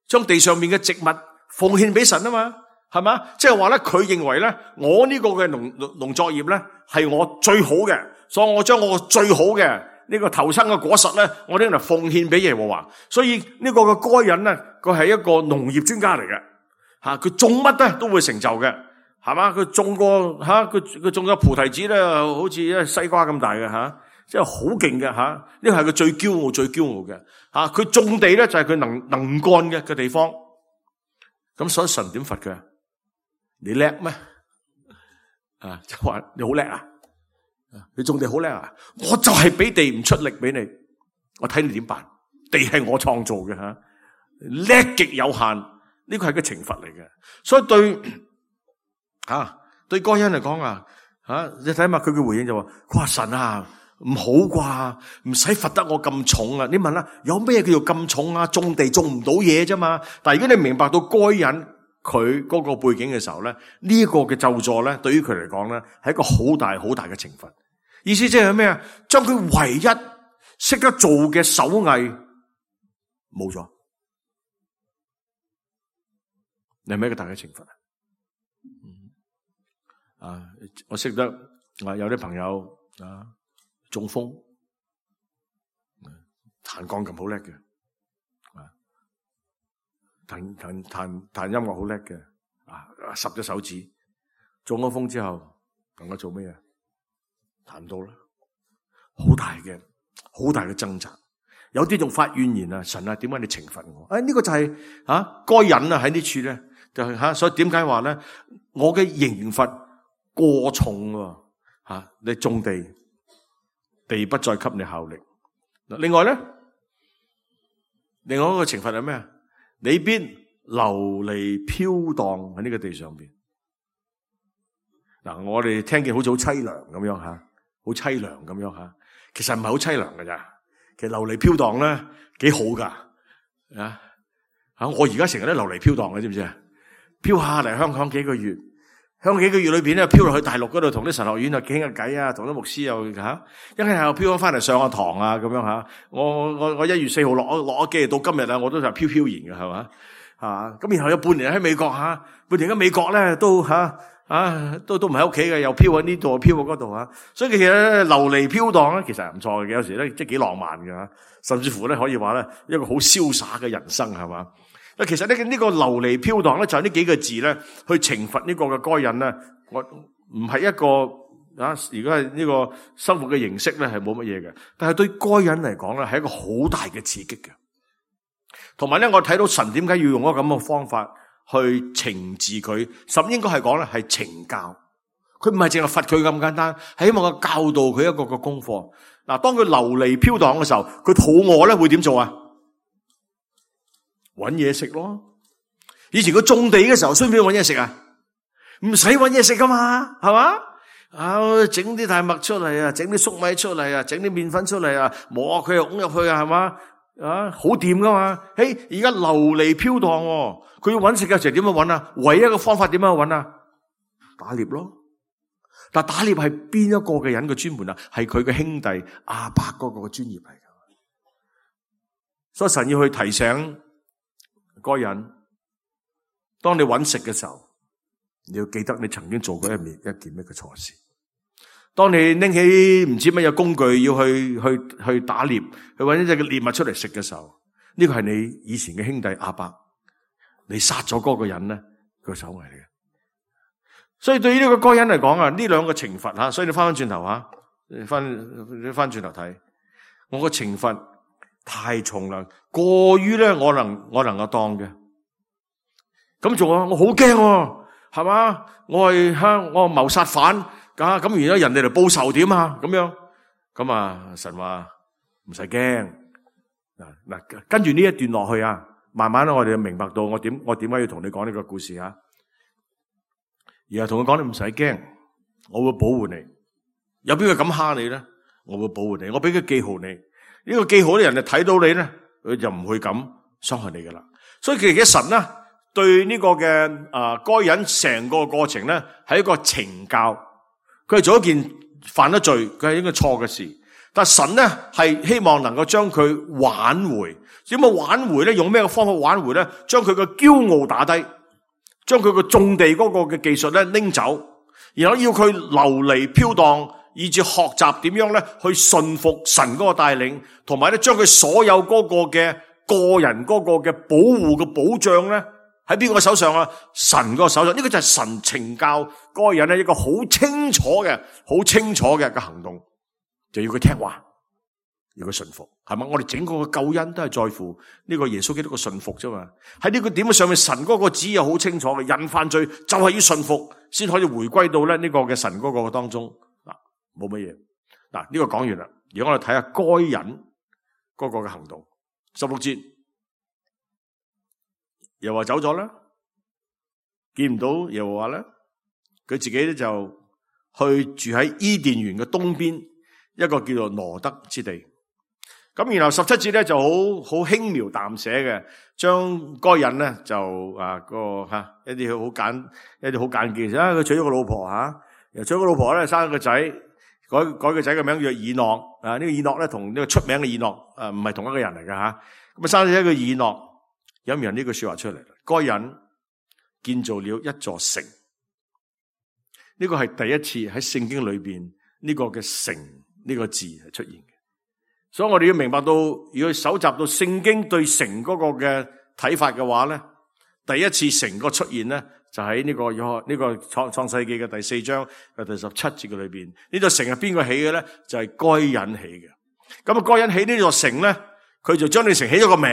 將地上面嘅植物奉獻俾神啊嘛，係嘛？即係話咧，佢認為咧，我呢個嘅農農作業咧係我最好嘅，所以我將我最好嘅呢個頭生嘅果實咧，我拎嚟奉獻俾耶和華。所以呢個嘅該隱咧，佢係一個農業專家嚟嘅，吓，佢種乜咧都會成就嘅，係嘛？佢種個吓，佢佢種個菩提子咧，好似一西瓜咁大嘅吓，即係好勁嘅吓。呢個係佢最驕傲、最驕傲嘅吓。佢種地咧就係佢能能幹嘅嘅地方。咁所以神點罰佢？你叻咩？啊，就話你好叻啊！你種地好叻啊！我就係俾地唔出力俾你，我睇你點辦？地係我創造嘅吓，叻極有限，呢個係個懲罰嚟嘅。所以對吓、啊、對該隱嚟講啊吓，你睇下佢嘅回應就話：佢話神啊，唔好啩，唔使罰得我咁重啊！你問啦，有咩叫做咁重啊？種地種唔到嘢啫嘛。但係如果你明白到該隱佢嗰個背景嘅時候咧，呢、這個嘅咒詛咧，對於佢嚟講咧，係一個好大好大嘅懲罰。意思即係咩啊？將佢唯一識得做嘅手藝冇咗，你係咪一個大嘅懲罰啊？啊，我識得啊，有啲朋友啊中風，彈鋼琴好叻嘅，啊，彈彈彈彈音樂好叻嘅，啊，十隻手指中咗風之後，能夠做咩啊？彈唔到啦，好大嘅好大嘅掙扎，有啲仲發怨言啊！神啊，點解你懲罰我？誒、哎，呢、這個就係吓該隱啊喺呢處咧，就係、是、吓、啊，所以點解話咧？我嘅刑罰過重吓、啊，你種地，地不再給你效力。另外咧，另外一個懲罰係咩啊？你必流離飄蕩喺呢個地上邊。嗱、啊，我哋聽見好似好淒涼咁樣吓。好淒涼咁樣吓，其實唔係好淒涼㗎咋。其實流離飄蕩咧幾好噶啊吓！我而家成日都流離飄蕩嘅，知唔知啊？飄下嚟香港幾個月，香港幾個月裏邊咧，飄落去大陸嗰度同啲神學院啊傾下偈啊，同啲牧師又吓，一係又飄咗翻嚟上下堂啊咁樣吓。我我我一月四號落咗落咗機到今日啊，我都就飄飄然嘅係嘛啊！咁然後有半年喺美國吓，半年喺美國咧都吓。啊，都都唔喺屋企嘅，又飄喺呢度，飄喺嗰度啊！所以其實咧流離飄蕩咧，其實係唔錯嘅，有時咧即係幾浪漫嘅，甚至乎咧可以話咧一個好瀟灑嘅人生係嘛？啊，其實呢呢個流離飄蕩咧就係呢幾個字咧去懲罰呢個嘅該隱咧，我唔係一個啊，如果係呢個生活嘅形式咧係冇乜嘢嘅，但係對該隱嚟講咧係一個好大嘅刺激嘅。同埋咧，我睇到神點解要用一個咁嘅方法去懲治佢，甚至應該係講咧係懲教，佢唔係淨係罰佢咁簡單，係希望佢教導佢一個個功課。嗱，當佢流離飄蕩嘅時候，佢肚餓咧會點做啊？搵嘢食咯。以前佢種地嘅時候，需唔需要搵嘢食啊？唔使搵嘢食噶嘛，係嘛？啊，整啲大麥出嚟啊，整啲粟米出嚟啊，整啲麵粉出嚟啊，磨佢又拱入去啊，係嘛？啊，好掂噶嘛？嘿，而家流離飄蕩，佢要搵食嘅時候點樣搵啊？唯一嘅方法點樣搵啊？打獵咯。但打獵係邊一個嘅人嘅專門啊？係佢嘅兄弟亞伯嗰個嘅專業嚟噶。所以神要去提醒該隱，當你搵食嘅時候，你要記得你曾經做過一面一件咩嘅錯事。當你拎起唔知乜嘢工具要去去去打獵，去搵一隻嘅獵物出嚟食嘅時候，呢個係你以前嘅兄弟亞伯，你殺咗嗰個人咧，佢個手藝嚟嘅。所以對於呢個該隱嚟講啊，呢兩個懲罰吓，所以你翻翻轉頭吓，翻你翻轉頭睇，我個懲罰太重啦，過於咧我能我能夠當嘅。咁做啊，我好驚，係嘛？我係吓我係謀殺犯。咁咁，而家人哋嚟報仇點啊？咁樣咁啊？神話唔使驚嗱嗱，跟住呢一段落去啊，慢慢咧，我哋就明白到我點我點解要同你講呢個故事啊？而係同佢講，你唔使驚，我會保護你。有邊個敢蝦你咧？我會保護你。我俾個記號你，呢個記號啲人就睇到你咧，佢就唔會咁傷害你噶啦。所以其實神咧對呢個嘅啊該隱成個過程咧係一個懲教，佢係做一件犯咗罪，佢係應該錯嘅事，但神咧係希望能夠將佢挽回。點樣挽回咧？用咩方法挽回咧？將佢嘅驕傲打低，將佢嘅種地嗰個嘅技術咧拎走，然後要佢流離飄蕩，以至學習點樣咧去順服神嗰個帶領，同埋咧將佢所有嗰個嘅個人嗰個嘅保護嘅保障咧喺邊個手上啊？神嗰個手上。呢個就係神懲教該隱咧一個好清楚嘅、好清楚嘅嘅行動，就要佢聽話，要佢順服，係嘛？我哋整個嘅救恩都係在乎呢個耶穌基督嘅順服啫嘛。喺呢個點上面，神嗰個旨意好清楚嘅，人犯罪就係要順服，先可以回歸到咧呢個嘅神嗰個當中。嗱，冇乜嘢。嗱，呢個講完啦。而家我哋睇下該隱嗰個嘅行動。十六節，耶和華走咗啦，見唔到耶和華咧，佢自己咧就去住喺伊甸園嘅東邊一個叫做羅德之地。咁然後十七節咧就好好輕描淡寫嘅，將該隱咧就啊個吓、啊、一啲好簡一啲好簡潔啊，佢娶咗個老婆吓，又娶咗個老婆咧生咗個仔，改改個仔嘅名叫以諾啊。呢、這個以諾咧同呢個出名嘅以諾啊唔係同一個人嚟㗎吓。咁啊生咗一個以諾，有冇人呢句說話出嚟？該隱建造了一座城，呢、這個係第一次喺聖經裏邊呢個嘅城呢個字係出現嘅。所以我哋要明白到，如果搜集到聖經對城嗰個嘅睇法嘅話咧，第一次城個出現咧，就喺呢個約呢個創創世記嘅第四章嘅第十七節嘅裏邊。呢座城係邊個起嘅咧？就係該隱起嘅。咁啊，該隱起呢座城咧，佢就將呢城起咗個名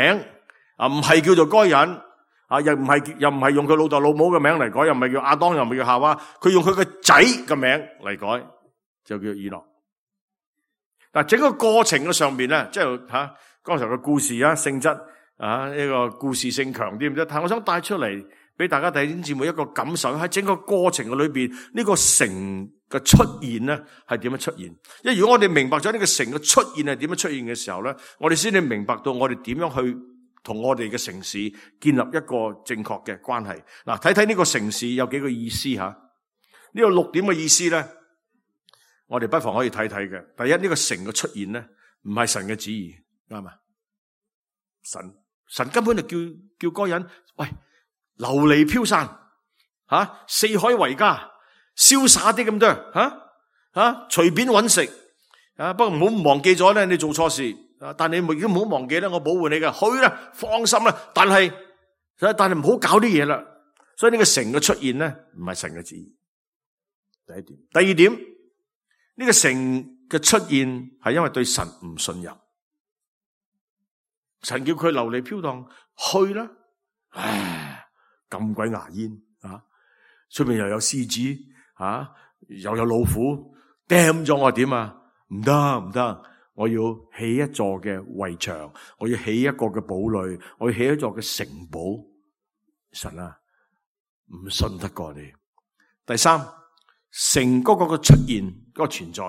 啊，唔係叫做該隱啊，又唔係又唔係用佢老豆老母嘅名嚟改，又唔係叫亞當，又唔係叫夏娃，佢用佢個仔嘅名嚟改，就叫以諾。嗱，整個過程嘅上邊咧，即係吓剛才嘅故事啊，性質啊，呢個故事性強啲唔得，但係我想帶出嚟俾大家弟兄姊妹一個感受，喺整個過程嘅裏邊，呢個城嘅出現咧係點樣出現？因為如果我哋明白咗呢個城嘅出現係點樣出現嘅時候咧，我哋先至明白到我哋點樣去同我哋嘅城市建立一個正確嘅關係。嗱，睇睇呢個城市有幾個意思吓？呢個六點嘅意思咧，我哋不妨可以睇睇嘅。第一，呢個城嘅出現咧，唔係神嘅旨意，啱嘛？神神根本就叫叫該隱，喂，流離飄散，吓、啊、四海為家，瀟灑啲咁多，吓吓隨便揾食，啊，不過唔好忘記咗咧，你做錯事，啊，但你亦都唔好忘記咧，我保護你嘅，去啦，放心啦。但係但係唔好搞啲嘢啦。所以呢個城嘅出現咧，唔係神嘅旨意。第一點，第二點。呢個城嘅出現係因為對神唔信任，神叫佢流離飄蕩去啦，唉，咁鬼牙煙啊！出面又有獅子啊，又有老虎，掟咗我點啊？唔得唔得，我要起一座嘅圍牆，我要起一個嘅堡壘，我要起一座嘅城堡。神啊，唔信得過你。第三，城嗰個嘅出現，嗰個存在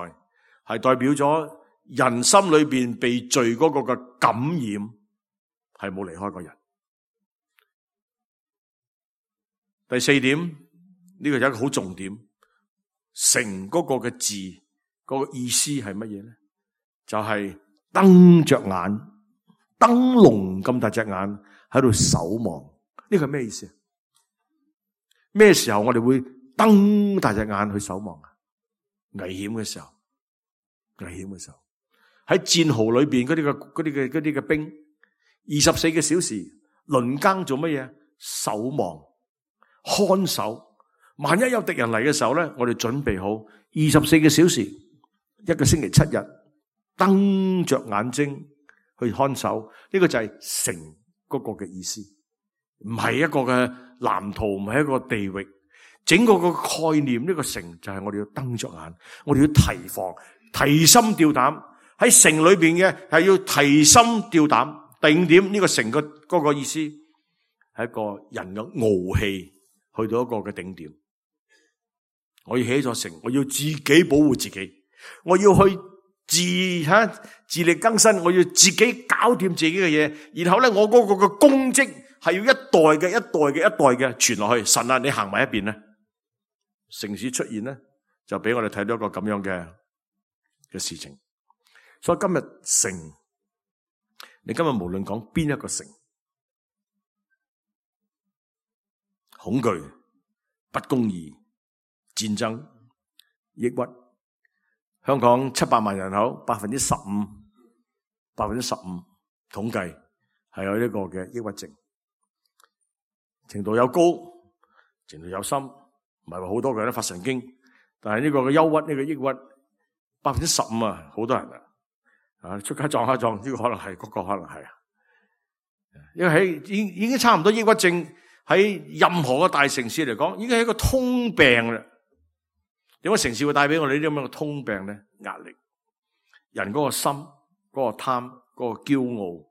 係代表咗人心裏邊被罪嗰個嘅感染，係冇離開過人。第四點，呢個有一個好重點，城嗰個嘅字嗰個意思係乜嘢咧？就係瞪着眼，燈籠咁大隻眼喺度守望。呢個係咩意思？咩時候我哋會瞪大隻眼去守望啊？危險嘅時候，危險嘅時候，喺戰壕裏邊嗰啲嘅嗰啲嘅嗰啲嘅兵，二十四個小時輪更做乜嘢？守望、看守。萬一有敵人嚟嘅時候咧，我哋準備好二十四個小時，一個星期七日，瞪着眼睛去看守。呢個就係城嗰個嘅意思，唔係一個嘅藍圖，唔係一個地域。整個個概念，呢個城就係我哋要瞪着眼，我哋要提防、提心吊膽。喺城裏邊嘅係要提心吊膽。第五點，呢個城嘅嗰個意思係一個人嘅傲氣去到一個嘅頂點。我要起一座城，我要自己保護自己，我要去自吓自力更生，我要自己搞掂自己嘅嘢。然後咧，我嗰個嘅功績係要一代嘅一代嘅一代嘅傳落去。神啊，你行埋一邊咧，城市出現咧，就俾我哋睇到一個咁樣嘅嘅事情。所以今日城，你今日無論講邊一個城，恐懼、不公義、戰爭、抑鬱，香港七百萬人口，百分之十五，百分之十五統計係有呢個嘅抑鬱症，程度有高，程度有深，唔係話好多個人都發神經，但係呢個嘅憂鬱，呢個抑鬱，百分之十五啊，好多人啊。啊！出街撞下撞，呢個可能係，嗰個可能係啊。因為喺已已經差唔多抑鬱症喺任何嘅大城市嚟講，已經係一個通病啦。點解城市會帶俾我哋呢啲咁樣嘅通病咧？壓力，人嗰個心、嗰個貪、嗰個驕傲、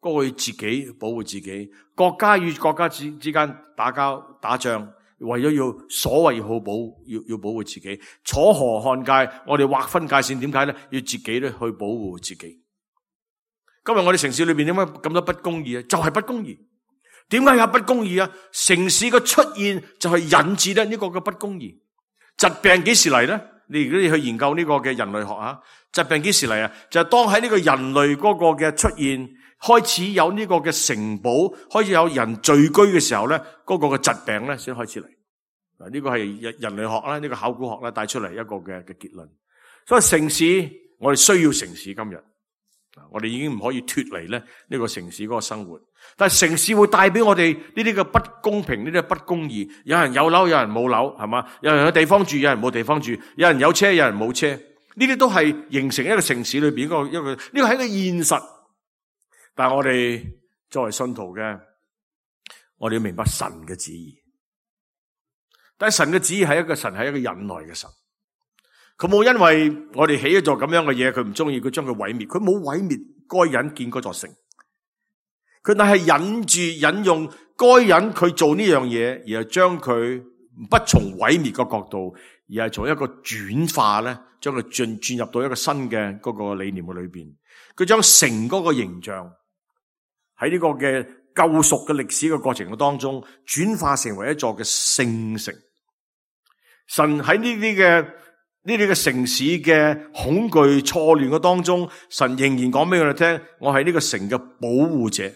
嗰個要自己保護自己，國家與國家之之間打交打仗。為咗要所謂要好保要要保護自己，楚河漢界，我哋劃分界線，點解咧？要自己咧去保護自己。今日我哋城市裏邊點解咁多不公義啊？就係不公義。點解有不公義啊？城市嘅出現就係引致咧呢個嘅不公義。疾病幾時嚟咧？你如果你去研究呢個嘅人類學啊，疾病幾時嚟啊？就係當喺呢個人類嗰個嘅出現，開始有呢個嘅城堡，開始有人聚居嘅時候咧，嗰個嘅疾病咧先開始嚟。嗱，呢個係人人類學啦，呢個考古學啦帶出嚟一個嘅嘅結論。所以城市，我哋需要城市今日，我哋已經唔可以脫離咧呢個城市嗰個生活。但係城市會帶俾我哋呢啲嘅不公平，呢啲不公義。有人有樓，有人冇樓，係嘛？有人有地方住，有人冇地方住。有人有車，有人冇車。呢啲都係形成一個城市裏邊一個一個，呢個係一個現實。但係我哋作為信徒嘅，我哋要明白神嘅旨意。但係神嘅旨意係一個神係一個忍耐嘅神。佢冇因為我哋起一座咁樣嘅嘢，佢唔中意，佢將佢毀滅。佢冇毀滅該隱建嗰座城。佢但係忍住引用該隱佢做呢樣嘢，而係將佢不從毀滅嘅角度，而係從一個轉化咧，將佢進轉入到一個新嘅嗰個理念嘅裏邊。佢將城嗰個形象喺呢個嘅救贖嘅歷史嘅過程嘅當中，轉化成為一座嘅聖城。神喺呢啲嘅呢啲嘅城市嘅恐懼錯亂嘅當中，神仍然講俾我哋聽，我係呢個城嘅保護者。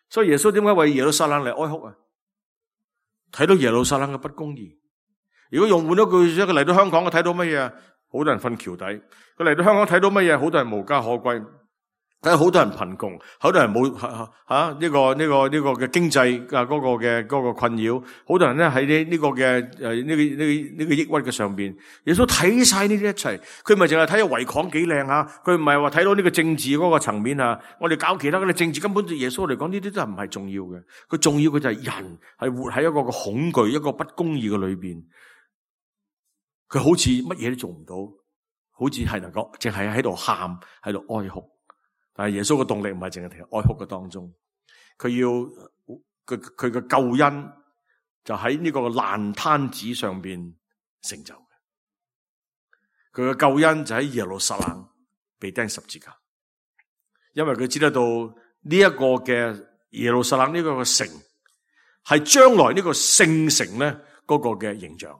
所以耶穌點解為耶路撒冷嚟哀哭啊？睇到耶路撒冷嘅不公義。如果用換咗句，佢嚟到香港，佢睇到乜嘢啊？好多人瞓橋底。佢嚟到香港睇到乜嘢？好多人無家可歸。睇到好多人貧窮，好多人冇吓呢個呢個呢個嘅經濟啊嗰個嘅嗰個困擾。好多人咧喺呢呢個嘅誒呢個呢個呢個抑鬱嘅上邊。耶穌睇晒呢啲一齊，佢咪淨係睇到維港幾靚啊？佢唔係話睇到呢個政治嗰個層面啊。我哋搞其他嘅政治根本對耶穌嚟講呢啲都係唔係重要嘅。佢重要嘅就係人係活喺一個個恐懼、一個不公義嘅裏邊。佢好似乜嘢都做唔到，好似係能夠淨係喺度喊，喺度哀哭。但係耶穌嘅動力唔係淨係停喺哀哭嘅當中，佢要佢佢嘅救恩就喺呢個爛攤子上邊成就嘅。佢嘅救恩就喺耶路撒冷被釘十字架，因為佢知得到呢一個嘅耶路撒冷呢個嘅城係將來呢個聖城咧嗰個嘅形象。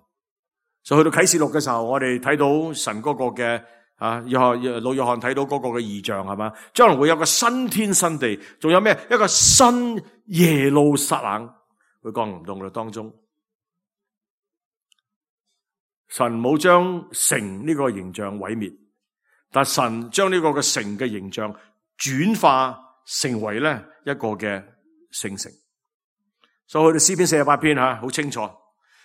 所以去到啟示錄嘅時候，我哋睇到神嗰個嘅。啊，約翰老約翰睇到嗰個嘅異象係嘛？將來會有個新天新地，仲有咩？一個新耶路撒冷會降臨到我哋當中。神冇將城呢個形象毀滅，但神將呢個嘅城嘅形象轉化成為咧一個嘅聖城。所以去到詩篇四十八篇吓，好清楚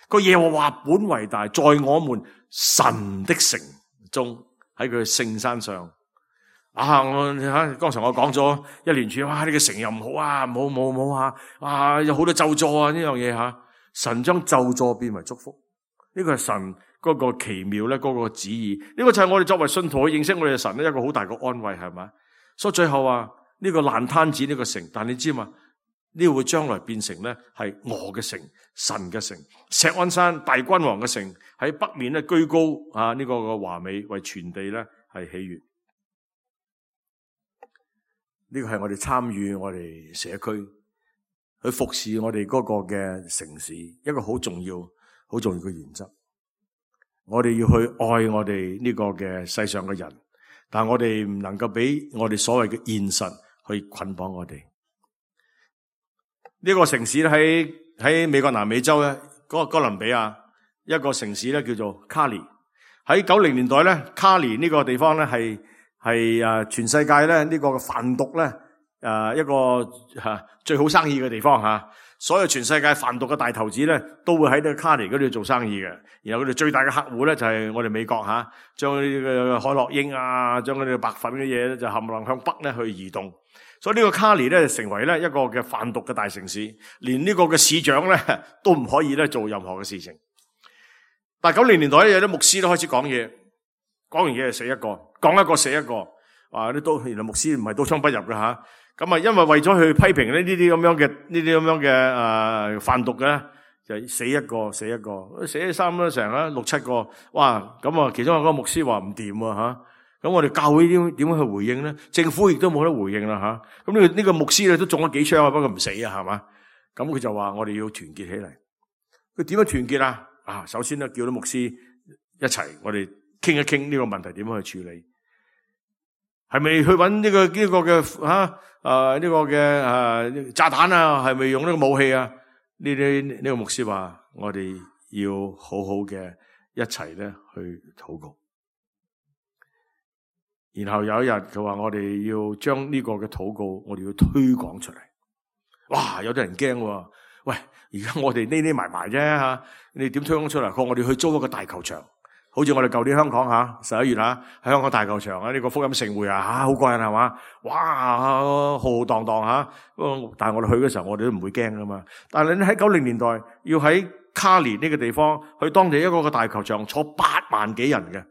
個耶和華本為大，在我們神的城中。喺佢聖山上啊！我吓剛才我講咗一連串，哇！呢個城又唔好啊，冇冇冇啊！啊，有好多咒詛啊！呢樣嘢吓，神將咒詛變為祝福，呢個係神嗰個奇妙咧，嗰個旨意。呢個就係我哋作為信徒去認識我哋嘅神咧，一個好大嘅安慰，係咪？所以最後啊，呢個爛攤子呢個城，但你知嘛？呢個會將來變成咧係我嘅城，神嘅城，錫安山大君王嘅城，喺北面咧居高啊！呢個嘅華美為全地咧係喜悅。呢個係我哋參與我哋社區去服侍我哋嗰個嘅城市，一個好重要、好重要嘅原則。我哋要去愛我哋呢個嘅世上嘅人，但係我哋唔能夠俾我哋所謂嘅現實去捆綁我哋。呢個城市咧喺喺美國南美洲咧，嗰個哥倫比亞一個城市咧叫做卡里。喺九零年代咧，卡里呢個地方咧係係誒全世界咧呢個販毒咧誒一個吓最好生意嘅地方吓。所有全世界販毒嘅大頭子咧都會喺呢個卡里嗰度做生意嘅。然後佢哋最大嘅客戶咧就係我哋美國吓，將呢個海洛英啊，將嗰啲白粉嘅嘢咧就冚唪唥向北咧去移動。所以呢個卡里咧成為咧一個嘅販毒嘅大城市，連呢個嘅市長咧都唔可以咧做任何嘅事情。但係九零年代咧有啲牧師都開始講嘢，講完嘢就死一個，講一個死一個。啊，啲刀原來牧師唔係刀槍不入嘅吓。咁啊，因為為咗去批評呢呢啲咁樣嘅呢啲咁樣嘅誒販毒嘅咧，就死一個死一個，死咗三咗成啦六七個。哇！咁啊，其中有個牧師話唔掂啊吓。咁我哋教會點點樣去回應咧？政府亦都冇得回應啦吓。咁呢個呢個牧師咧都中咗幾槍啊，不過唔死啊，係嘛？咁佢就話我哋要團結起嚟。佢點樣團結啊？啊，首先咧叫啲牧師一齊，我哋傾一傾呢個問題點樣去處理。係咪去揾呢個呢個嘅吓誒呢個嘅誒炸彈啊？係咪用呢個武器啊？呢啲呢個牧師話我哋要好好嘅一齊咧去禱告。然後有一日佢話我哋要將呢個嘅禱告我哋要推廣出嚟。哇！有啲人驚喎，喂！而家我哋匿匿埋埋啫吓，你點推廣出嚟？佢話我哋去租一個大球場。好似我哋舊年香港吓十一月吓喺香港大球場啊，呢個福音盛會啊吓好過癮係嘛？哇，浩浩蕩蕩吓，但係我哋去嘅時候我哋都唔會驚噶嘛。但係你喺九零年代要喺卡里呢個地方去當地一個個大球場坐八萬幾人嘅，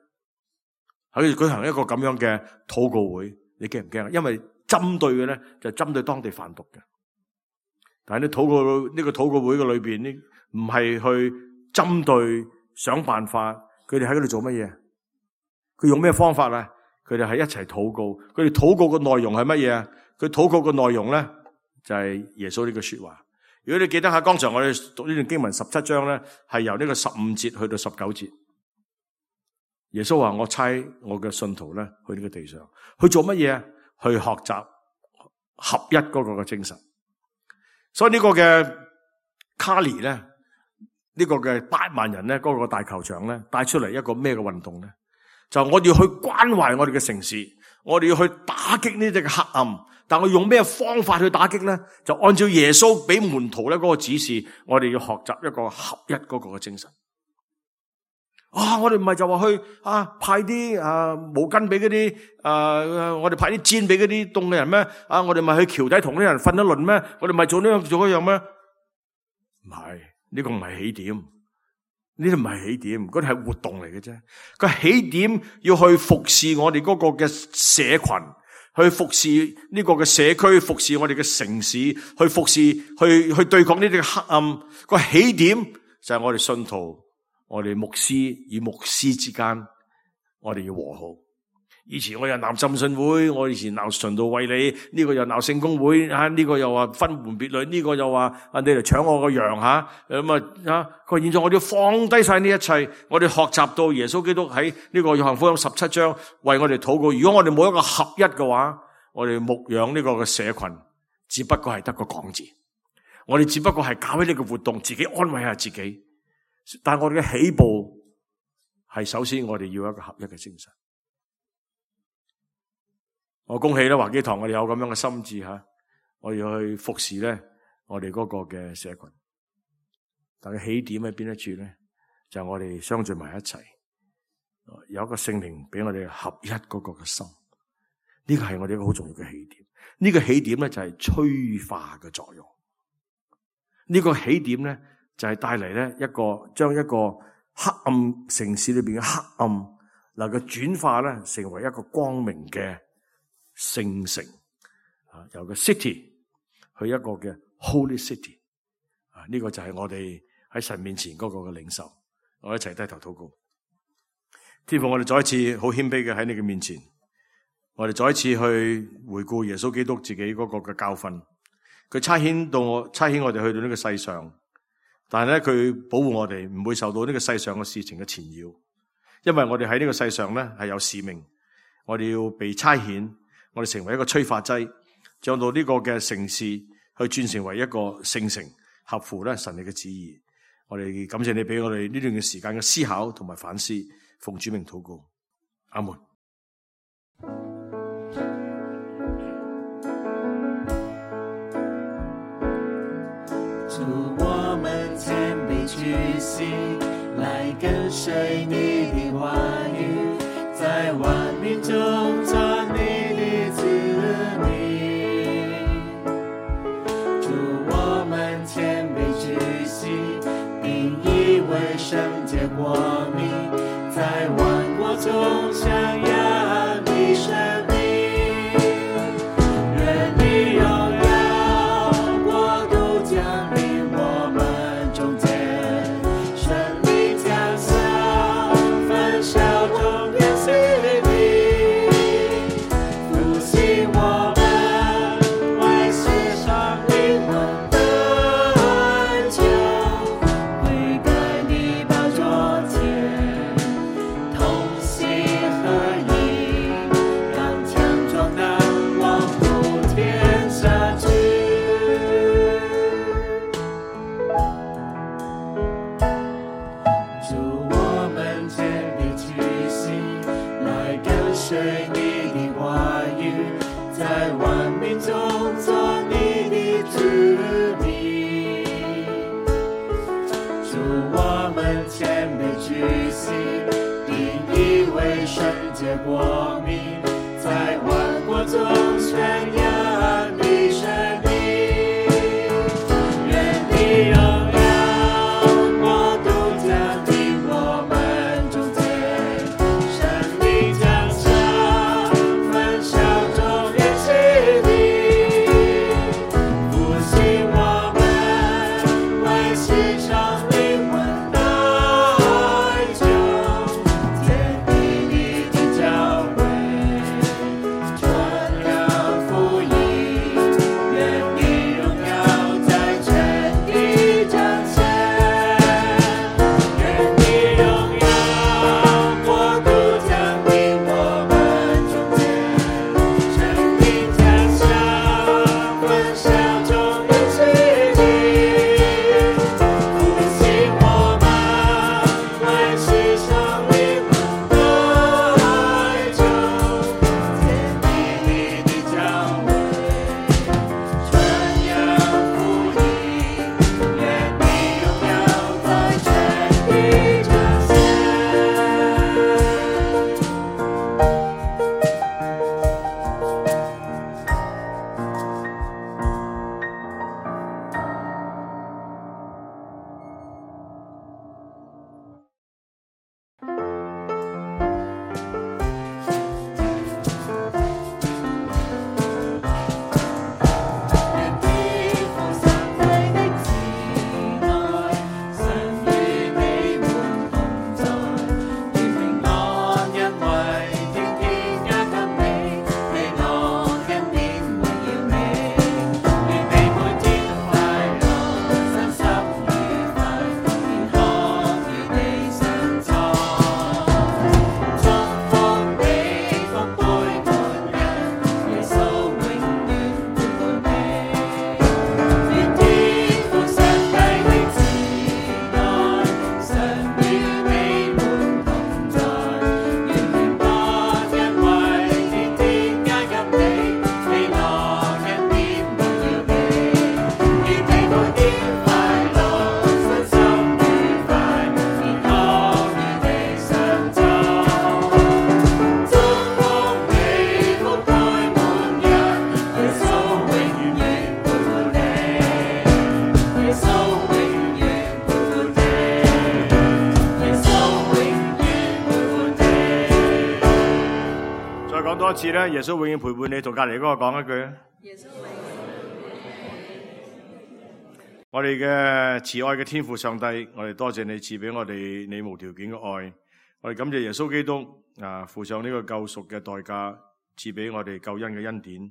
喺度舉行一個咁樣嘅禱告會，你驚唔驚啊？因為針對嘅咧就係針對當地販毒嘅。但係你禱告呢個禱告會嘅裏邊呢，唔係去針對想辦法。佢哋喺嗰度做乜嘢？佢用咩方法啊？佢哋係一齊禱告。佢哋禱告嘅內容係乜嘢啊？佢禱告嘅內容咧就係耶穌呢句說話。如果你記得下剛才我哋讀呢段經文十七章咧，係由呢個十五節去到十九節。耶穌話：我差我嘅信徒咧去呢個地上去做乜嘢啊？去學習合一嗰個嘅精神。所以呢個嘅卡里咧。呢個嘅八萬人咧，嗰個大球場咧，帶出嚟一個咩嘅運動咧？就我哋要去關懷我哋嘅城市，我哋要去打擊呢啲嘅黑暗。但我用咩方法去打擊咧？就按照耶穌俾門徒咧嗰個指示，我哋要學習一個合一嗰個嘅精神。啊！我哋唔係就話去啊派啲啊毛巾俾嗰啲啊，我哋派啲氈俾嗰啲凍嘅人咩？啊！我哋咪去橋底同啲人瞓一輪咩？我哋咪做呢樣做嗰樣咩？唔係。呢個唔係起點，呢啲唔係起點，嗰啲係活動嚟嘅啫。個起點要去服侍我哋嗰個嘅社群，去服侍呢個嘅社區，服侍我哋嘅城市，去服侍去去對抗呢啲黑暗。個起點就係我哋信徒，我哋牧師與牧師之間，我哋要和好。以前我又鬧浸信會，我以前鬧循道衛理，呢、這個又鬧聖公會，啊呢、這個又話分門別類，呢、這個又話啊你嚟搶我個羊吓，咁啊啊佢話現在我哋要放低晒呢一切，我哋學習到耶穌基督喺呢個約翰福音十七章為我哋禱告。如果我哋冇一個合一嘅話，我哋牧養呢個嘅社群，只不過係得個講字，我哋只不過係搞起呢個活動，自己安慰下自己。但係我哋嘅起步係首先我哋要一個合一嘅精神。我恭喜咧華基堂，我哋有咁樣嘅心志吓，我要去服侍咧我哋嗰個嘅社群。但係起點喺邊一處咧？就係我哋相聚埋一齊，有一個聖靈俾我哋合一嗰個嘅心。呢個係我哋一個好重要嘅起點。呢個起點咧就係催化嘅作用。呢個起點咧就係帶嚟咧一個將一個黑暗城市裏邊嘅黑暗能夠轉化咧成為一個光明嘅聖城啊，由個 city 去一個嘅 holy city 啊，呢個就係我哋喺神面前嗰個嘅領受。我一齊低頭禱告。天父，我哋再一次好謙卑嘅喺你嘅面前，我哋再一次去回顧耶穌基督自己嗰個嘅教訓。佢差遣到我，差遣我哋去到呢個世上，但係咧佢保護我哋，唔會受到呢個世上嘅事情嘅纏繞，因為我哋喺呢個世上咧係有使命，我哋要被差遣，我哋成為一個催化劑，將到呢個嘅城市去轉成為一個聖城，合乎咧神你嘅旨意。我哋感謝你俾我哋呢段嘅時間嘅思考同埋反思，奉主名禱告，阿門。主，我們謙卑屈膝，來跟隨你的話語，在萬民中做你的子民。主，我們謙卑屈膝，並以為聖潔國民，在萬國中宣揚你生命。願你榮耀國度降臨我們中間，生命降下，焚燒眾人心靈，復興我們為世上靈魂的哀求，跪在你寶座前，同心合一，剛強壯膽，往普天下去。主，我們謙卑屈膝，來跟隨你的話語，在萬民中做你的子民。主，我們謙卑屈膝，並以為聖潔國民，在萬國中宣揚你生命。願你榮耀國度降臨我們中間，生命降下，焚燒眾人心靈，復興我們為世上靈魂的哀求，建立你的教會，傳揚福音，願你榮耀在全地彰顯。願你榮耀國度降臨我們中間，生命降下，焚燒眾人心靈，復興我們為世上靈魂的哀求，建立你的教會，傳揚福音，願你榮耀在全地彰顯。願地父上帝的慈愛，神與你們同在，願平安恩惠天天加給你，你我恩典榮耀你。願你每天快樂，身心愉快，健康與你相在。祝福你福杯滿溢，耶穌永遠陪伴你。願天父上帝的慈愛，常與你們同在。願平安恩惠天天加給你，你我恩典榮耀你。願你每天快樂，身心愉快，健康與你相在。祝福你福杯滿溢，耶穌永遠陪伴你。耶穌永遠陪伴你。耶穌永遠陪伴你。再講多一次咧，耶穌永遠陪伴你，同隔離嗰個講一句啊！我哋嘅慈愛嘅天父上帝，我哋多謝你賜俾我哋你無條件嘅愛，我哋感謝耶穌基督啊付上呢個救贖嘅代價，賜俾我哋救恩嘅恩典。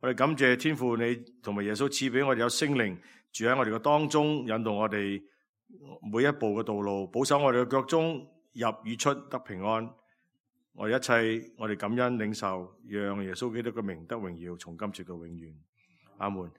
我哋感謝天父你同埋耶穌賜俾我哋有聖靈住喺我哋嘅當中，引導我哋每一步嘅道路，保守我哋嘅腳蹤入與出得平安。我哋一切我哋感恩領受，讓耶穌基督嘅名得榮耀，從今直到永遠。阿門。